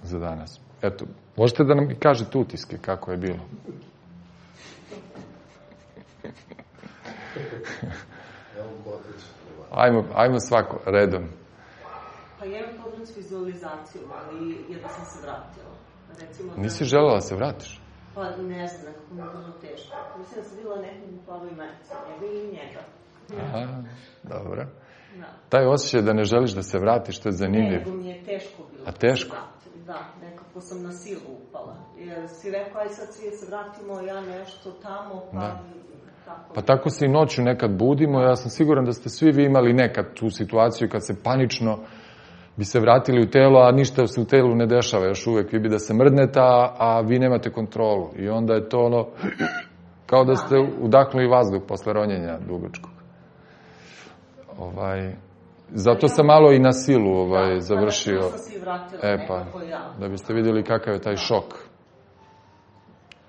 za danas. Eto, možete da nam kažete utiske kako je bilo? Ajmo svako, redom. Pa ja imam problem s vizualizacijom, ali jedno sam se vratila. Recimo, nisi želela da se vratiš? Pa ne znam, nekako mi je bilo teško. Mislim da sam videla nekog u plavoj majici, njega i njega. Aha, dobro. Da. Taj osjećaj da ne želiš da se vratiš, to je zanimljiv. Ne, nego mi je teško bilo. A teško? Da, nekako sam na silu upala. Jer si rekao, aj sad svi se vratimo, ja nešto tamo, pa... Da. Pa tako se i noću nekad budimo. Ja sam siguran da ste svi vi imali nekad tu situaciju kad se panično bi se vratili u telo, a ništa se u telu ne dešava još uvek. Vi bi da se mrdnete, a vi nemate kontrolu. I onda je to kao da ste udahnuli vazduh posle ronjenja dugačkog. Zato sam malo i na silu završio. Da biste vidjeli kakav je taj šok.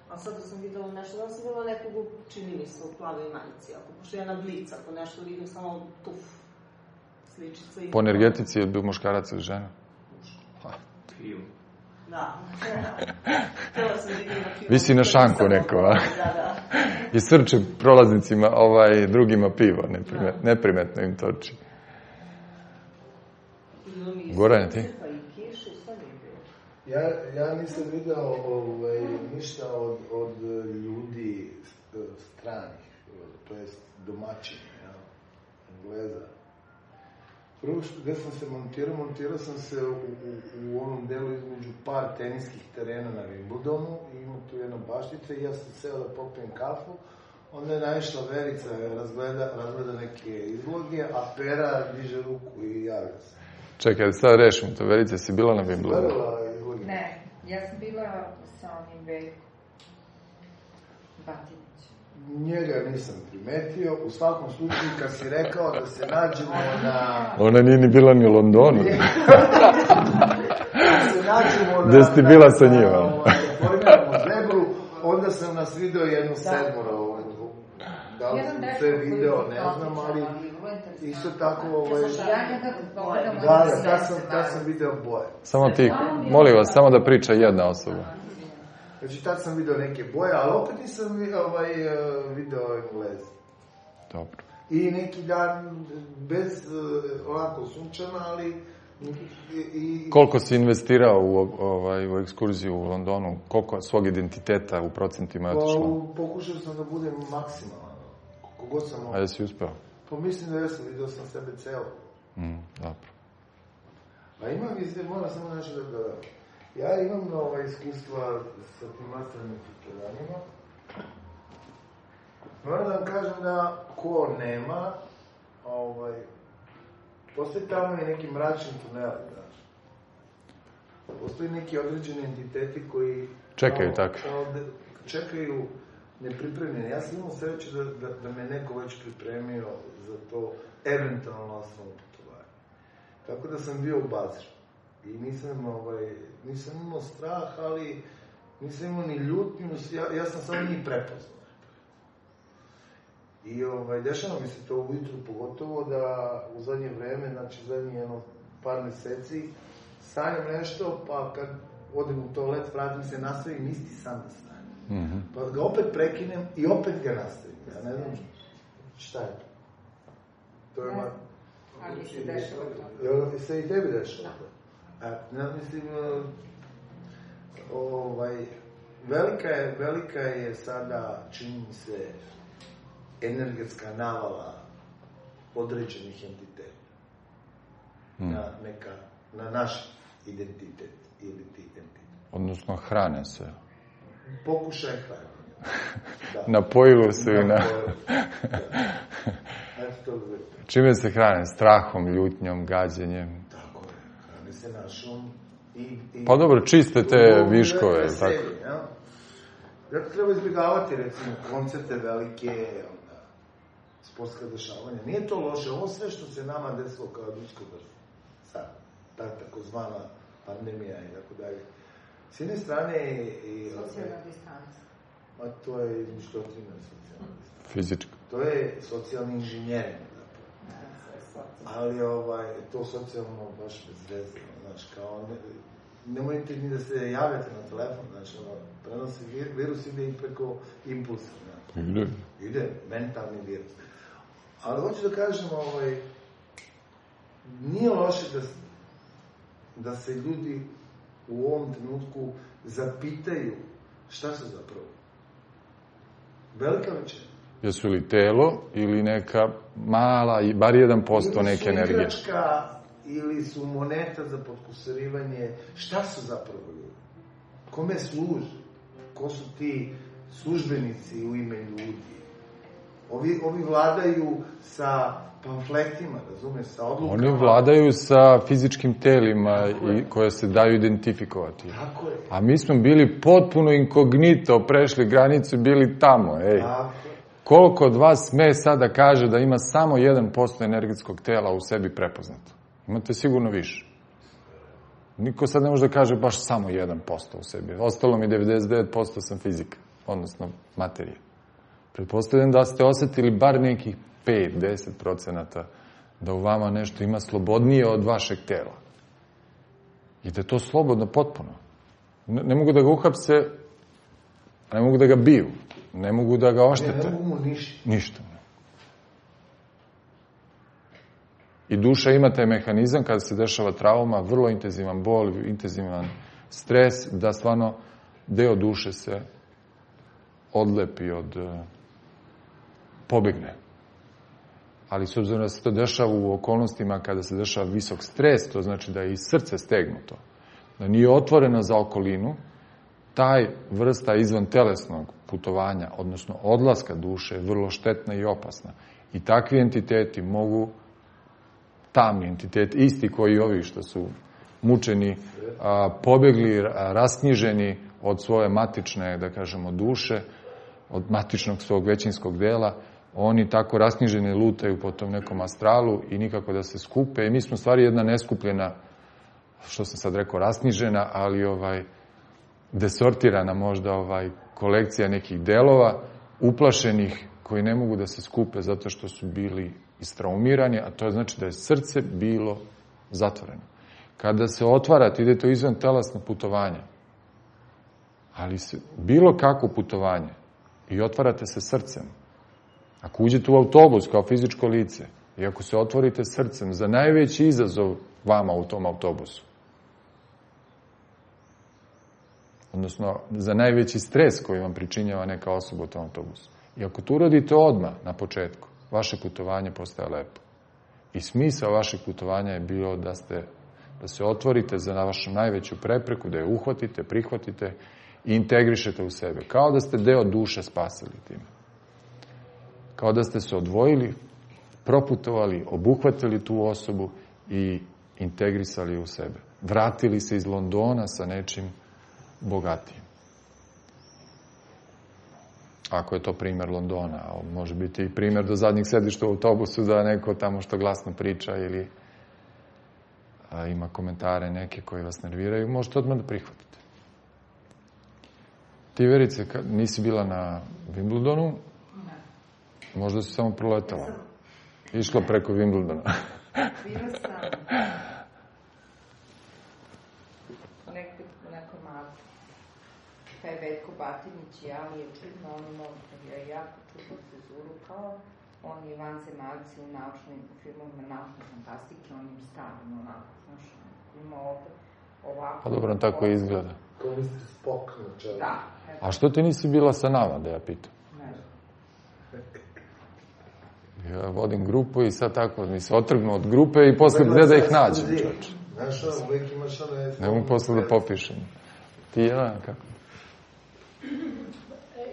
A sad sam videla nešto, da sam videla nekog, čini mi se, u plavoj majici. Pošto ja na blic, ako nešto vidim, samo tuf, sličica i... Po energetici je bio muškarac ili žena? Piju. Da. Htjela sam vidim na pivo. Vi si na šanku neko, a? Da. I srče prolaznicima, drugima pivo, neprimetno im toči. Goran, ti? Ja nisam video ništa od ljudi stranih, to jest domaćini, Engleza. Prvo gde sam se montirao sam se u onom delu između par teniskih terena na Wimbledonu i ima tu jedna baštica i ja sam seo da popijem kafu, onda je naišla Verica, razgleda neke izloge, a Pera diže ruku i javlja se. Čekaj, sad rešim to. Verica, si bila na Wimbledonu? Ne, ja sam bila sa onim Veljkom Batinićem. Njega nisam primetio. U svakom slučaju, kad si rekao da se nađemo na... Ona nije ni bila ni u Londonu. Da se nađemo na... Gde ste bila sa njima? Formiramo zebru, onda sam nas video jednu sedmora. Da li sam sve video, ne znam, ali isto tako... Da, sam video boje. Samo ti, molim vas, samo da priča jedna osoba. Znači, tad sam video neke boje, ali opet nisam video Engleza. Dobro. I neki dan, bez ovako sunčana, ali... Koliko si investirao u ekskurziju u Londonu? Koliko svog identiteta u procentima je otišlo? Pokušao sam da budem maksimalan. Koliko god sam... A jesi uspeo? Pa mislim da jesam, vidio sam sebe celo. Dobro. A moram samo nešto da dodam. Ja imam iskustva sa tim astralnim putovanjima. Moram da vam kažem da ko nema, postoji tamo i neki mračni tuneli, znaš. Postoji neki određeni entiteti koji... Čekaju tako. Čekaju nepripremljeni. Ja sam imao sreću da me neko već pripremio za to eventualno astralno putovanje. Tako da sam bio u Bazru. I nisam imao strah, ali nisam imao ni ljutnju, ja sam samo njih prepoznao. I dešava mi se to ujutru, pogotovo da u zadnje vreme, znači zadnje par meseci, sanjam nešto, pa kad odem u toalet, vratim se, nastavim isti san da sanjam. Pa ga opet prekinem i opet ga nastavim. Ja ne znam šta je to. To je ali se dešava to. Jel se i tebi dešava to? Ja mislim, velika je sada, čini mi se, energetska navala određenih entiteta na naš identitet ili ti entitet. Odnosno hrane se. Pokušaj hrane. Napojilo se i na... Čime se hrane? Strahom, ljutnjom, gađenjem? Tako je. Hrane se našom Pa dobro, čiste te viškove, tako. Zato treba izbjegavati, recimo, koncerte velike, sportska dešavanja. Nije to loše, ovo sve što se nama desilo kao ljudsko vrsta. Sad, ta takozvana pandemija i tako dalje. S jedne strane socijalna distanca. Ma to je izmišljotina socijalna distanca. Fizička. To je socijalni inženjering. Ali to socijalno baš bez veze. Znači, kao nemojte ni da se javljate na telefon, znači, prenosi virus ide i preko impulsa. Ide, mentalni virus. Ali hoću da kažem, nije loše da se ljudi u ovom trenutku zapitaju šta su zapravo. Velika većina. Jesu li telo ili neka mala, bar 1% neke energije? Ili su igračka, ili su moneta za potkusurivanje. Šta su zapravo ljudi? Kome služe? Ko su ti službenici u ime ljudi? Ovi vladaju sa pamfletima, razumeš, sa odlukama. Oni vladaju sa fizičkim telima koje se daju identifikovati. Tako je. A mi smo bili potpuno inkognito, prešli granicu i bili tamo. Tako je. Koliko od vas sme sada kaže da ima samo 1% energetskog tela u sebi prepoznato? Imate sigurno više. Niko sad ne može da kaže baš samo 1% u sebi. Ostalo mi 99% sam fizika, odnosno materija. Pretpostavljam da ste osetili bar nekih 5-10% da u vama nešto ima slobodnije od vašeg tela. I da je to slobodno potpuno. Ne mogu da ga uhapse, ne mogu da ga biju, ne mogu da ga oštete. Ne mogu mu ništa. Ništa. I duša ima taj mehanizam kada se dešava trauma, vrlo intenzivan bol, intenzivan stres, da stvarno deo duše se odlepi pobegne. Ali s obzirom da se to dešava u okolnostima kada se dešava visok stres, to znači da je i srce stegnuto, da nije otvoreno za okolinu, taj vrsta izvan telesnog putovanja, odnosno odlaska duše, je vrlo štetna i opasna. I takvi entiteti mogu, tamni entiteti, isti koji ovi što su mučeni, pobegli, rasknjiženi od svoje matične, da kažemo, duše, od matičnog svog većinskog dela, oni tako rasknjiženi lutaju po tom nekom astralu i nikako da se skupe. I mi smo stvari jedna neskupljena, što sam sad rekao, rasknjižena, ali desortirana možda kolekcija nekih delova, uplašenih, koji ne mogu da se skupe zato što su bili istraumirani, a to znači da je srce bilo zatvoreno. Kada se otvarate, idete u izvan telesno putovanje, ali bilo kakvo putovanje, i otvarate se srcem. Ako uđete u autobus kao fizičko lice i ako se otvorite srcem za najveći izazov vama u tom autobusu, odnosno za najveći stres koji vam pričinjava neka osoba u tom autobusu, i ako to uradite odmah na početku, vaše putovanje postaje lepo. I smisao vašeg putovanja je bilo da se otvorite za vašu najveću prepreku, da je uhvatite, prihvatite i integrišete u sebe. Kao da ste deo duše spasili time. Kao da ste se odvojili, proputovali, obuhvatili tu osobu i integrisali u sebe. Vratili se iz Londona sa nečim bogatijim. Ako je to primjer Londona, a može biti i primjer do zadnjih sedišta u autobusu da neko tamo što glasno priča ili ima komentare neke koji vas nerviraju, možete odmah da prihvatite. Ti, Verice, nisi bila na Wimbledonu? Možda si samo proletala. Išla preko Wimbledona. Bila sam nekako onako malo. Taj Veljko Batinić i ja, je čudno, on imao jako čudnu frizuru, kao oni vanzemalci u filmovima naučne fantastike, on im stavim onako, znaš, ima ovako. Pa dobro, tako i izgleda. Kao Mr. Spock na čelu. Da. A što ti nisi bila sa nama, da ja pitam? Ne. Ja vodim grupu i sad tako mi se otrgnu od grupe i posle gde da ih nađem, čoče. Znaš, uvijek imaš one... Ne mogu posle da popišem. Ti, Jelena, kako?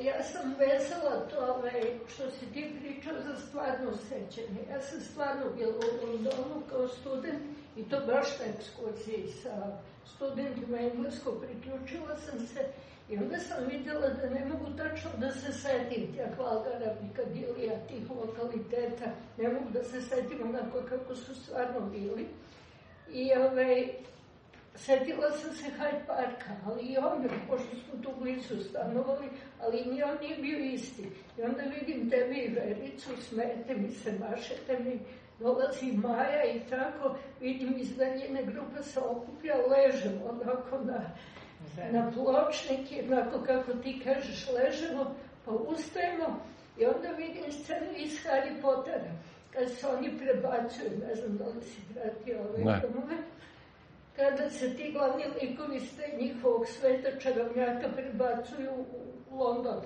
Ja sam vesela to što si ti pričao za stvarno sećanje. Ja sam stvarno bila u Londonu kao student i to baš na ekskurziji sa studentima engleskog. Priključila sam se I onda sam vidjela da ne mogu tačno da se setim tih Valgara, Pikadilija, tih lokaliteta, ne mogu da se setim onako kako su stvarno bili. I setila sam se Hyde Parka, ali i onda, pošto smo tu blizu stanovali, ali ni on nije bio isti. I onda vidim tebi i Vericu, smete mi se, mašete mi, dolazi Maja i tako, vidim iz daljine grupa se okuplja, ležemo onako na pločnike, onako kako ti kažeš, ležemo, pa ustajemo i onda vidim scenu iz Harry Pottera, kad se oni prebacuju, ne znam da li si pratio ove domove, kada se ti glavni likovi s njihovog sveta čarobnjaka prebacuju u London.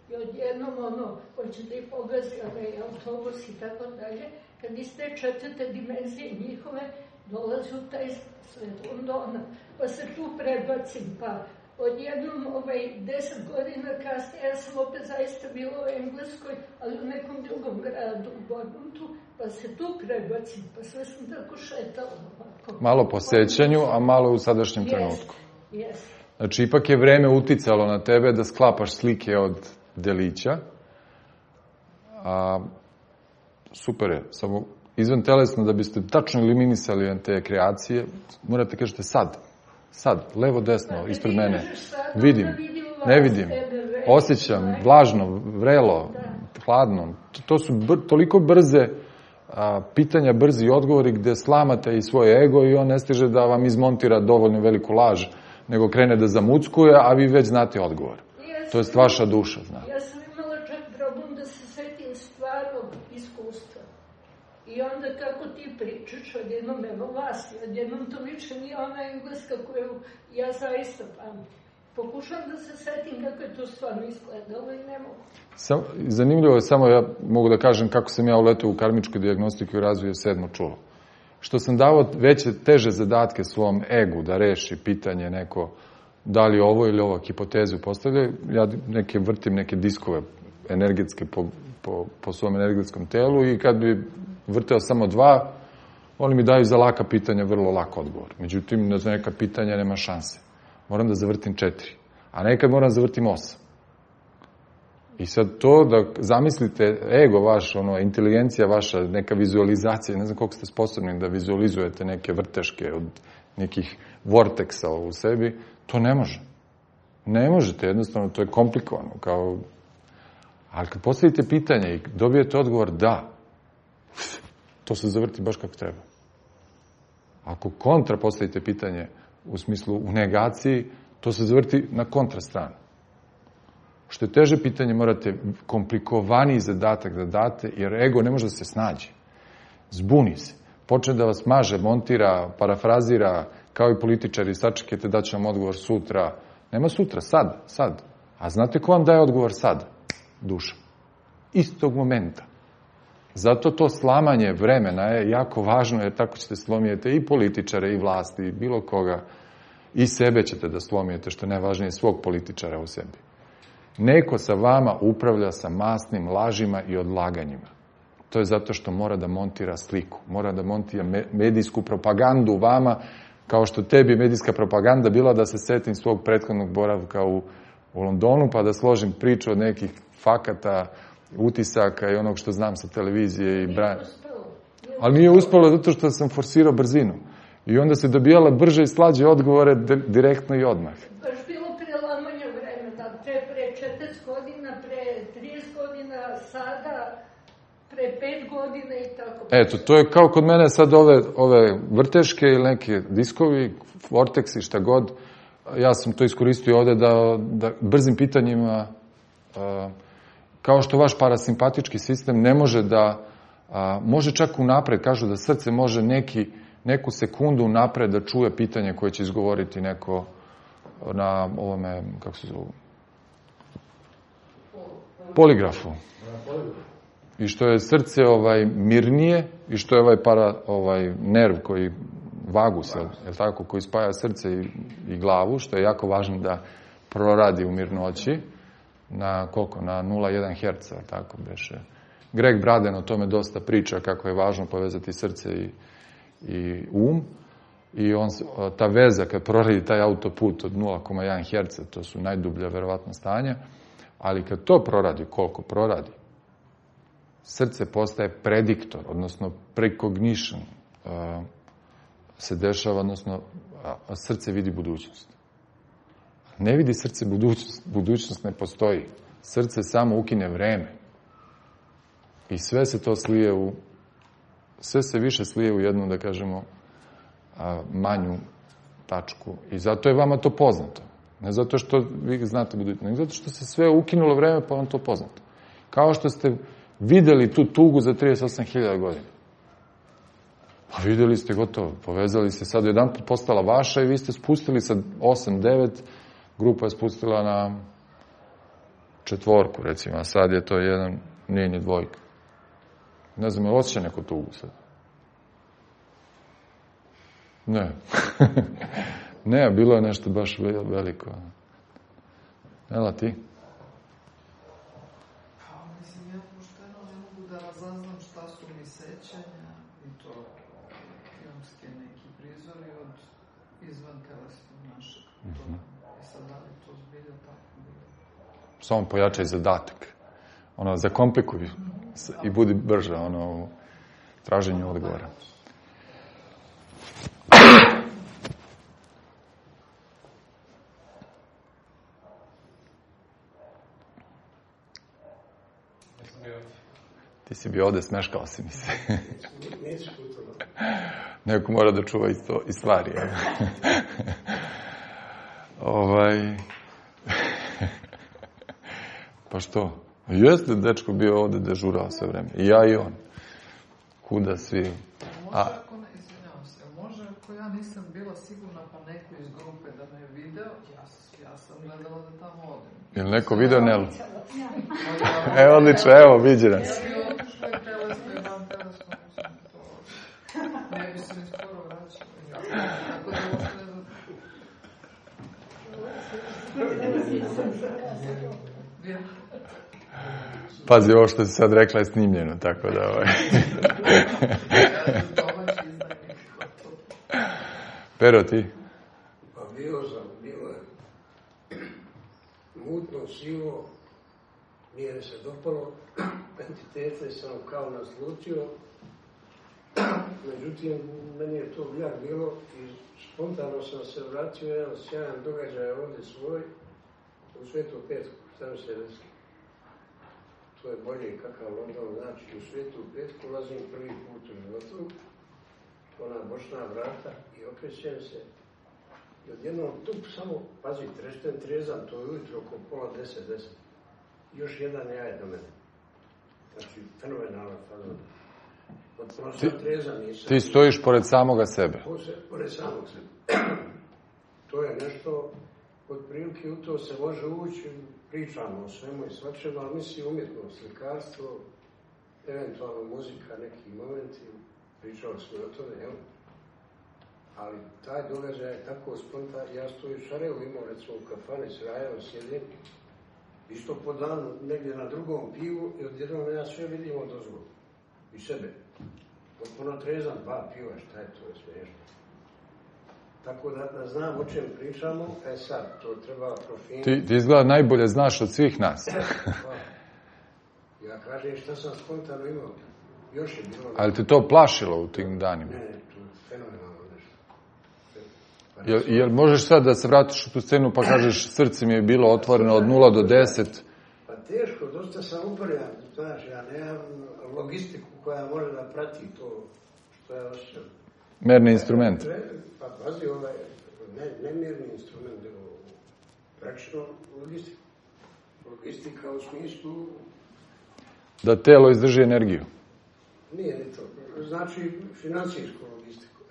I odjednom hoće da ih pogazi autobus i tako dalje, kad iz te četvrte dimenzije njihove dolazi u taj svet Londona, pa se tu prebacim, pa odjednom 10 godina kasnije, ja sam opet zaista bila u Engleskoj, ali u nekom drugom gradu, u Bournemouthu, pa se tu prebacim, pa sve sam tako šetala ovako. Malo po sećanju, a malo u sadašnjem trenutku. Yes. Znači, ipak je vreme uticalo na tebe da sklapaš slike od delića. Super je, samo izvan telesno, da biste tačno eliminisali te kreacije, morate kažete sad, levo, desno, ispred mene. Vidim, ne vidim, osjećam, vlažno, vrelo, hladno. To su toliko brze pitanja, brzi odgovori gde slamate i svoje ego i on ne stiže da vam izmontira dovoljno veliku laž, nego krene da zamuckuje, a vi već znate odgovor. To je vaša duša, zna. Ja sam imala čak problem da se setim stvarnog iskustva. I onda kako ti pričaš, odjednom evo vas, odjednom to više nije ona Engleska koju ja zaista pamtim. Pokušam da se setim kako je to stvarno izgledalo i ne mogu. Zanimljivo je, samo ja mogu da kažem kako sam ja uletao u karmičku dijagnostiku i razvio 7. čulo. Što sam davao teže zadatke svom egu da reši pitanje neko da li ovo ili ova hipotezu postavlja, ja vrtim neke diskove energetske po svom energetskom telu i kad bi vrteo samo 2, oni mi daju za laka pitanja vrlo lak odgovor. Međutim, za neka pitanja nema šanse. Moram da zavrtim 4, a nekad moram da zavrtim 8. I sad to da zamislite ego vaš, inteligencija vaša, neka vizualizacija, ne znam koliko ste sposobni da vizualizujete neke vrteške od nekih vorteksa u sebi, to ne može. Ne možete, jednostavno, to je komplikovano. Ali kad postavite pitanje i dobijete odgovor da, to se zavrti baš kako treba. Ako kontra postavite pitanje u smislu u negaciji, to se zavrti na kontra stranu. Što je teže pitanje, morate komplikovaniji zadatak da date, jer ego ne može da se snađe. Zbuni se. Počne da vas maže, montira, parafrazira, kao i političari, sačekajte da će vam odgovor sutra. Nema sutra, sad. A znate ko vam daje odgovor sad? Duša. Istog momenta. Zato to slamanje vremena je jako važno, jer tako ćete slomijete i političare, i vlasti, i bilo koga. I sebe ćete da slomijete, što je najvažnije, svog političara u sebi. Neko sa vama upravlja sa masnim lažima i odlaganjima. To je zato što mora da montira sliku, mora da montira medijsku propagandu vama, kao što tebi medijska propaganda bila da se setim svog prethodnog boravka u Londonu, pa da složim priču od nekih fakata, utisaka i onog što znam sa televizije. Ali nije uspelo zato što sam forsirao brzinu. I onda se dobijala brže i slađe odgovore direktno i odmah. Baš bilo prelamanje vremena, pre 40 godina, pre 30 godina, sada, pre 5 godina i tako. Eto, to je kao kod mene sad ove vrteške ili neke diskovi, vorteksi, šta god. Ja sam to iskoristio ovde da brzim pitanjima, kao što vaš parasimpatički sistem ne može da, može čak unapred, kažu da srce može neku sekundu unapred da čuje pitanje koje će izgovoriti neko na ovome, kako se zove, poligrafu. I što je srce mirnije i što je nerv koji vagus, je tako, koji spaja srce i glavu, što je jako važno da proradi u mirnoći, na koliko? Na 0,1 Hz, tako beše. Greg Braden o tome dosta priča kako je važno povezati srce i um. i ta veza kad proradi taj autoput od 0,1 Hz, to su najdublja verovatno stanja, ali kad to proradi, koliko proradi, srce postaje prediktor, odnosno precognition se dešava, odnosno srce vidi budućnost. Ne vidi srce budućnost, budućnost ne postoji. Srce samo ukine vreme. I sve se to slije sve se više slije u jednu, da kažemo, manju tačku. I zato je vama to poznato. Ne zato što vi znate budućnost, nego zato što se sve ukinulo vreme, pa vam to poznato. Kao što ste videli tu tugu za 38.000 godina. Pa videli ste gotovo, povezali se, sad jedan put postala vaša i vi ste spustili sa 8-9, grupa je spustila na 4, recimo, a sad je to 1, nije ni 2. Ne znam, je li osjeća neko tugu sad? Ne. Ne, bilo je nešto baš veliko. Ela, ti? Pa, mislim, ja pošteno ne mogu da razaznam šta su mi sećanja i to filmske neki prizori od izvan telesnog našeg. I sad, da li to zbilja tako bilo? Samo pojačaj zadatak. Zakomplikuj i budi brža u traženju odgovora. Ti si bio ovde, smeškao si mi se. Neko mora da čuva i stvari. Pa što? Jeste dečko bio ovde dežurao sve vreme. I ja i on. Kuda svi? Izvinjavam se, može ako ja nisam bila sigurna pa neko iz grupe da me je video, ja sam gledala da tamo odem. Je li neko video Nelu? Odlično, evo, vidi nas. Ja bi otišla i telesno i van telesno, mislim, to ne bi se mi skoro vraćala. Tako da možda ne... Pazi, ovo što si sad rekla je snimljeno, tako da... Pero, ti? Pa bilo je mutno, sivo, nije mi se dopalo, entitete sam kao naslutio, međutim, meni je to bljak bilo i spontano sam se vratio jedan sjajan događaj ovdje svoj, u Svetu Petku, šta mi se reći. To je bolje kakav London, znači u Svetu Petku ulazim prvi put u životu, ona bočna vrata i okrećem se i odjednom tup samo, pazi, trezan, to je ujutro oko 9:30. Još jedan jaj do mene. Znači, fenomenalna fazona. Potpuno sam trezan, nisam. Ti stojiš pored samoga sebe. Pored samog sebe. To je nešto, od prilike u to se može ući, pričamo o svemu i svačemu, ali misli umjetnost, slikarstvo, eventualno muzika, neki momenti, pričali smo o tome, jel? Ali taj događaj je tako spontan, ja stojim u Sarajevu, imao recimo u kafani s Rajevom, sjedim, isto po danu, negdje na drugom pivu i odjednom ja sve vidim od ozgo. I sebe. Potpuno trezan, 2 piva, šta je to, je smiješno. Tako da znam o čem pričamo, sad, to treba profiniti. Ti izgleda najbolje znaš od svih nas. Ja kažem šta sam spontano imao. Još je bilo... Ali te to plašilo u tim danima? Ne, to je fenomenalno nešto. Jel možeš sad da se vratiš u tu scenu pa kažeš srce mi je bilo otvoreno od 0 do 10? Pa teško, dosta sam uporjan. Znaš, ja nemam logistiku koja može da prati to što ja osjećam. Merni instrument. Pa pazi, ne mjerni instrument, nego praktično logistiku. Logistika u smislu... Da telo izdrži energiju. Nije ni to. Znači, financijsku logistiku.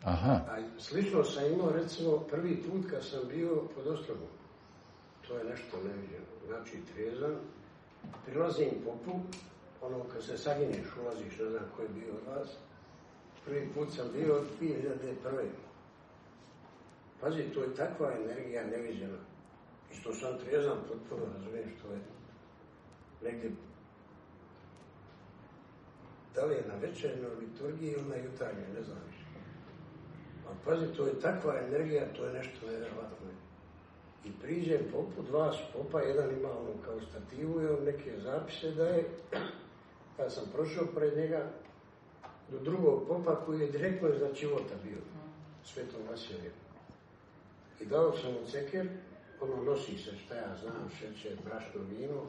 Aha. A slično sam imao, recimo, prvi put kad sam bio pod Ostrogom. To je nešto neviđeno. Znači, trezan, prilazim popu, ono kad se saginješ, ulaziš, ne znam ko je bio od vas. Prvi put sam bio od 2001. Pazi, to je takva energija neviđena. I što sam trezan, potpuno razumijem što je negdje. Da li je na večernoj liturgiji ili na jutarnjoj, ne znam više. A pazi, to je takva energija, to je nešto nevjerovatno. I priđem popu, dva su popa, jedan ima ono kao stativu i on neke zapise daje. Ja sam prošao pred njega do drugog popa koji je direktno iznad života bio, Svetom Vasiliju. I dao sam mu ceker, ono nosi se, šta ja znam, šećer, brašno, vino.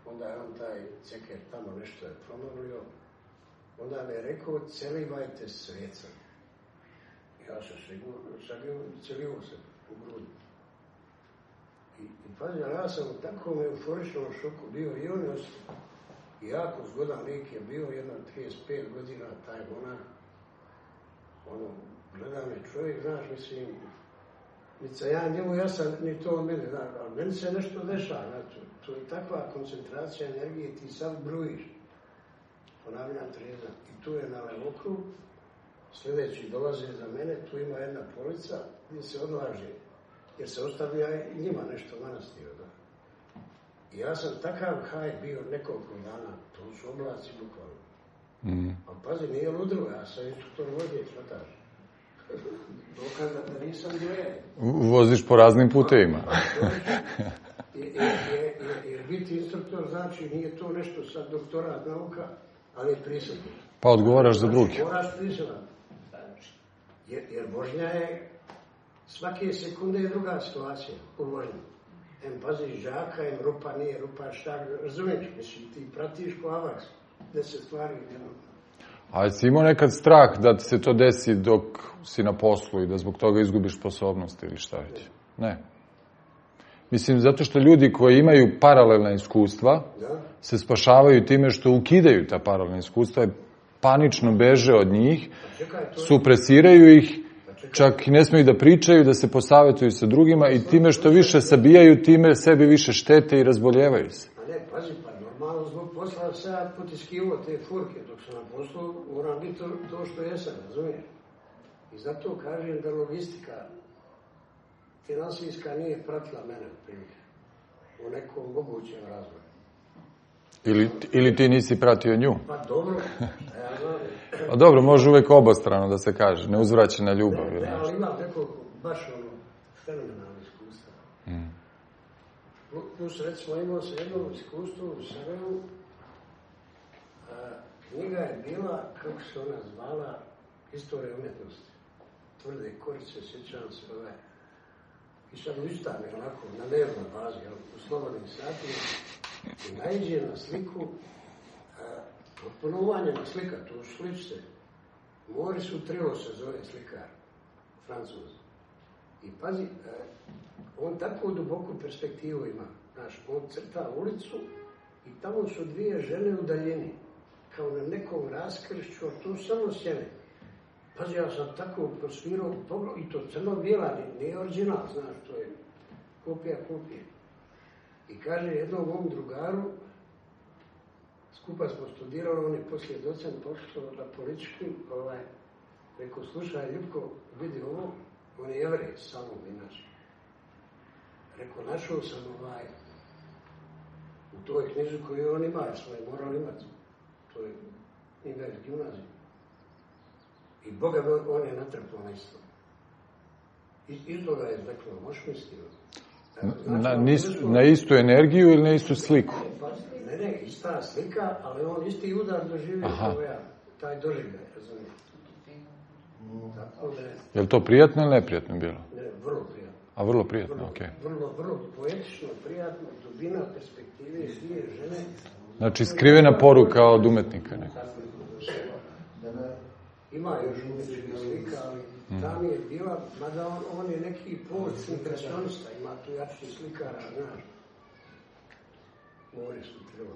Onda je on taj ceker tamo nešto je promolio. Onda mi je rekao, celivajte sveca. Ja sam celio se u grudu. I pazi, ja sam u takvom euforičnom šoku bio i on je ostao. I jako zgodan lik je bio, jedno 35 godina, taj monak. Ono, gleda me čovjek, znaš, mislim, nica ja njemu, ja sam ni to od mene, znaš, ali meni se nešto dešava, znači, to je takva koncentracija energije, ti sad brujiš. Ponavljam trezan. I tu je na levokrug, sljedeći dolaze za mene, tu ima jedna polica gdje se odlaže, jer se ostavlja njima nešto manastira. Da. I ja sam takav haj bio nekoliko dana, to su oblaci bukvalno. A pazi, nije ludilo, ja sam instruktor vožnje, švataš. Dokaza da nisam dve. Voziš po raznim putevima. Jer biti instruktor znači nije to nešto sad doktorat nauka, ali je prisutno. Pa odgovaraš za drugi. Moraš prisutno. Jer vožnja je, svake sekunde je druga situacija u vožnji. Pazi, žaka, rupa, nije rupa, šta, razumiješ, mislim, ti pratiš ko avaks, gde se stvari jedno. A si imao nekad strah da ti se to desi dok si na poslu i da zbog toga izgubiš sposobnost ili šta već? Ne. Mislim, zato što ljudi koji imaju paralelna iskustva se spašavaju time što ukidaju ta paralelna iskustva i panično beže od njih, supresiraju ih, čak i ne smiju da pričaju, da se posavetuju sa drugima i time što više sabijaju, time sebi više štete i razboljevaju se. A ne, pazi, pa normalno zbog posla sad potiskivo te furke, dok sam na poslu, moram biti to što jesam, razumiješ? I zato kažem da logistika finansijska nije pratila mene u nekom mogućem razvoju. Ili ti nisi pratio nju? Pa dobro, ja znam. A dobro, može uvek obostrano da se kaže, neuzvraćena ljubav. Ne, ali imam nekoliko baš fenomenalno iskustva. Plus, recimo, imao se jedno iskustvo u Sarajevu. Knjiga je bila, kako se ona zvala, Istorija umjetnosti. Tvrde korice, sjećam se ove. I sad ustane onako na dnevnoj bazi, u slobodnim satima, i naiđe na sliku, potpuno umanjena slika, tu sličice. Maurice Utrillo se zove slikar, Francuz. I pazi, on takvu duboku perspektivu ima. Znaš, on crta ulicu i tamo su dvije žene u daljini, kao na nekom raskršću, a tu samo sjene. Pazi, ja sam tako prosvirao i to crno-bijela, nije original, znaš, to je kopija. I kaže jednom mom drugaru, skupa smo studirali, on je poslije docent pošao na političku, rekao, slušaj, Ljubko, vidi ovo, on je Jevrej, samo inače. Rekao, našao sam u toj knjižu koju on ima, jer smo je morali imati. To je knjiga iz gimnazije. I Boga, on je natrpao na isto. Iz toga je izreklo, možeš misliti. Na istu energiju ili na istu sliku? Ne, ista slika, ali on isti udar doživio kao ja. Taj doživljaj, razumijem. Je li to prijatno ili neprijatno bilo? Ne, vrlo prijatno. A vrlo prijatno, okej. Vrlo poetično, prijatno, dubina perspektive, dvije žene. Znači, skrivena poruka od umetnika nekako. Ima još umetničkih slika, ali tam je bila, mada on je neki post-impresionista, ima tu jači slikara, znaš. Maurice Utrillo.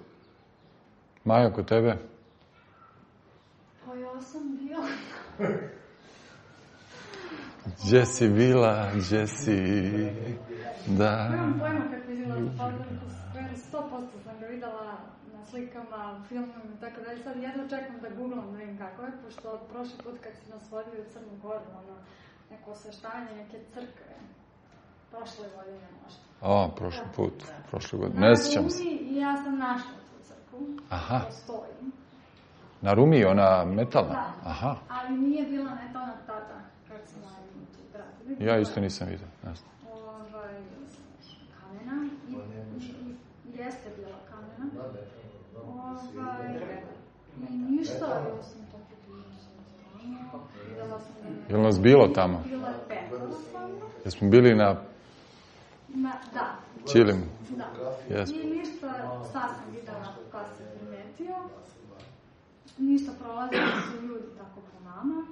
Maja, kod tebe? Pa ja sam bila. Gdje si bila, gdje si, da... Nemam pojma kako izgleda, pa 100% sam ga videla na slikama, filmima i tako dalje. Sad jedno čekam da googlam, da vidim kako je, pošto prošli put kad si nas vodili u Crnu Goru, neko osveštanje, neke crkve, prošle godine možda. Prošli put, prošle godine, ne sjećam se. I ja sam našla tu crkvu, postoji. Na Rumi, ona metalna? Da, ali nije bila metalna tada, kad vidio. Ja isto nisam vidio. Kamena. Jeste bila kamena. I ništa, ja sam to videla sam da... Je li nas bilo tamo? Bilo je 5 stvarno. Jesmo bili na... Da. Čilim? Da. Yes. I ništa, sad sam videla kad se primetio. Ništa, prolazili su ljudi tako po nama.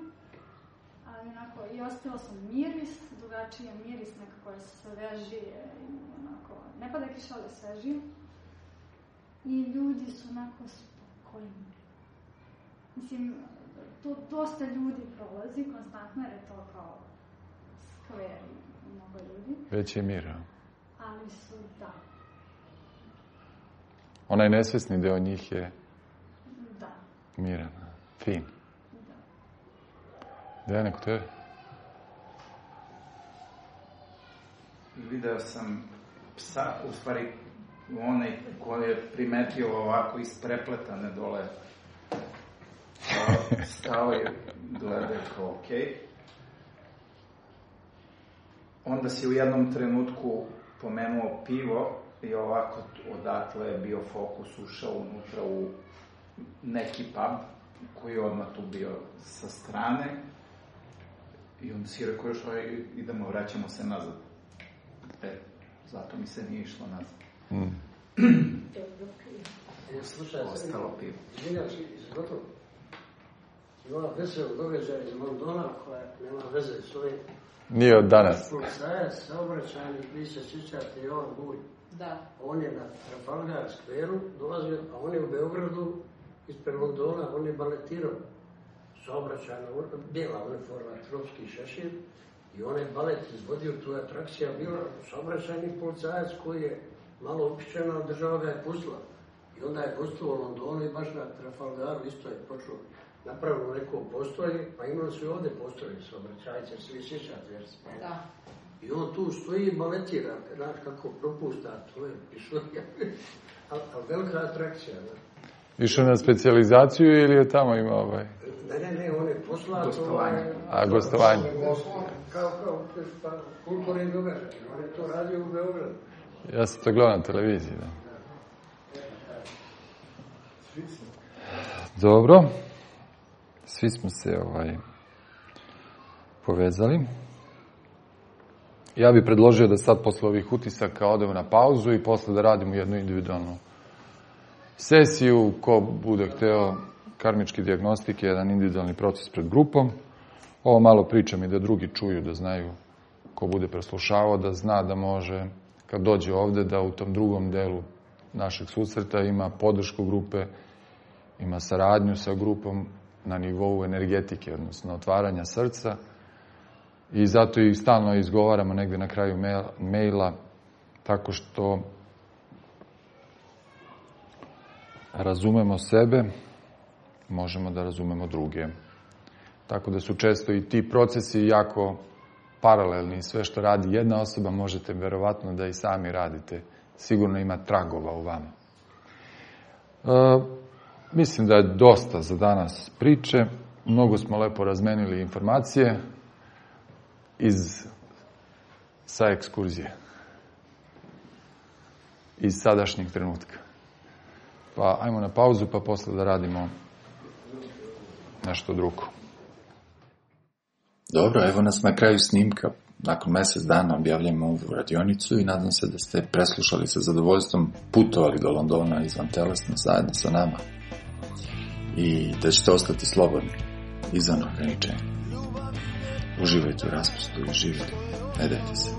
Ali onako, i ostila sam miris, drugačiji miris, nekako je svežije i onako, ne pada kiša, ali svežije. I ljudi su onako spokojni. Mislim, to dosta ljudi prolazi konstantno, jer je to kao skver i mnogo ljudi. Već je mir, Ali su, da. Onaj nesvesni deo njih je Da. miran, fin. Da. Dejane, kod tebe? Video sam psa, u stvari onaj koji je primetio ovako isprepletane dole. Stao je, gleda kao okej. Onda si u jednom trenutku pomenuo pivo i ovako odatle je bio fokus, ušao unutra u neki pub koji je odmah tu bio sa strane i onda si rekao još idemo, vraćamo se nazad. Zato mi se nije išlo nazad. Slušaj, ostalo pivo. Izvinjam si, gotovo. Ima vesel događaj iz Londona koja nema veze s ovim. Nije od danas. Policajac, saobraćajnik, vi se sjećate, Jovan Bulj. Da. On je na Trafalgar Square-u dolazio, a on je u Beogradu ispred Londona, on je baletirao. Saobraćajna, bijela uniforma, tropski šešir. I on je balet izvodio, tu je atrakcija bila, saobraćajni policajac koji je malo opičen, ali država ga je pustila. I onda je gostovao u Londonu i baš na Trafalgaru isto je počeo napravilo neko postolje, pa imali su i ovdje postolje saobraćajce, svi sjećate, jer smo. Da. I on tu stoji i baletira, znaš kako propušta, to je pišurija, ali velika atrakcija, da. Išao na specijalizaciju ili je tamo imao ovaj? Ne, on je poslao gostovanje. A, gostovanje. Kao kulturni događaj, on je to radio u Beogradu. Ja sam to gledao na televiziji, da. Dobro. Svi smo se povezali. Ja bih predložio da sad posle ovih utisaka odemo na pauzu i posle da radimo jednu individualnu sesiju. Ko bude hteo karmički dijagnostik, jedan individualni proces pred grupom. Ovo malo pričam i da drugi čuju, da znaju ko bude preslušavao, da zna da može, kad dođe ovde, da u tom drugom delu našeg susreta ima podršku grupe, ima saradnju sa grupom na nivou energetike, odnosno otvaranja srca. I zato i stalno izgovaramo negde na kraju maila, tako što razumemo sebe, možemo da razumemo druge. Tako da su često i ti procesi jako paralelni. Sve što radi jedna osoba možete verovatno da i sami radite. Sigurno ima tragova u vama. Mislim da je dosta za danas priče. Mnogo smo lepo razmenili informacije sa ekskurzije. Iz sadašnjeg trenutka. Pa ajmo na pauzu, pa posle da radimo nešto drugo. Dobro, evo nas na kraju snimka. Nakon mjesec dana objavljamo ovu radionicu i nadam se da ste preslušali sa zadovoljstvom, putovali do Londona izvan telesno zajedno sa nama. I da ćete ostati slobodni, izvan ograničenja. Uživajte u raspustu i živjeti. Ne dajte se.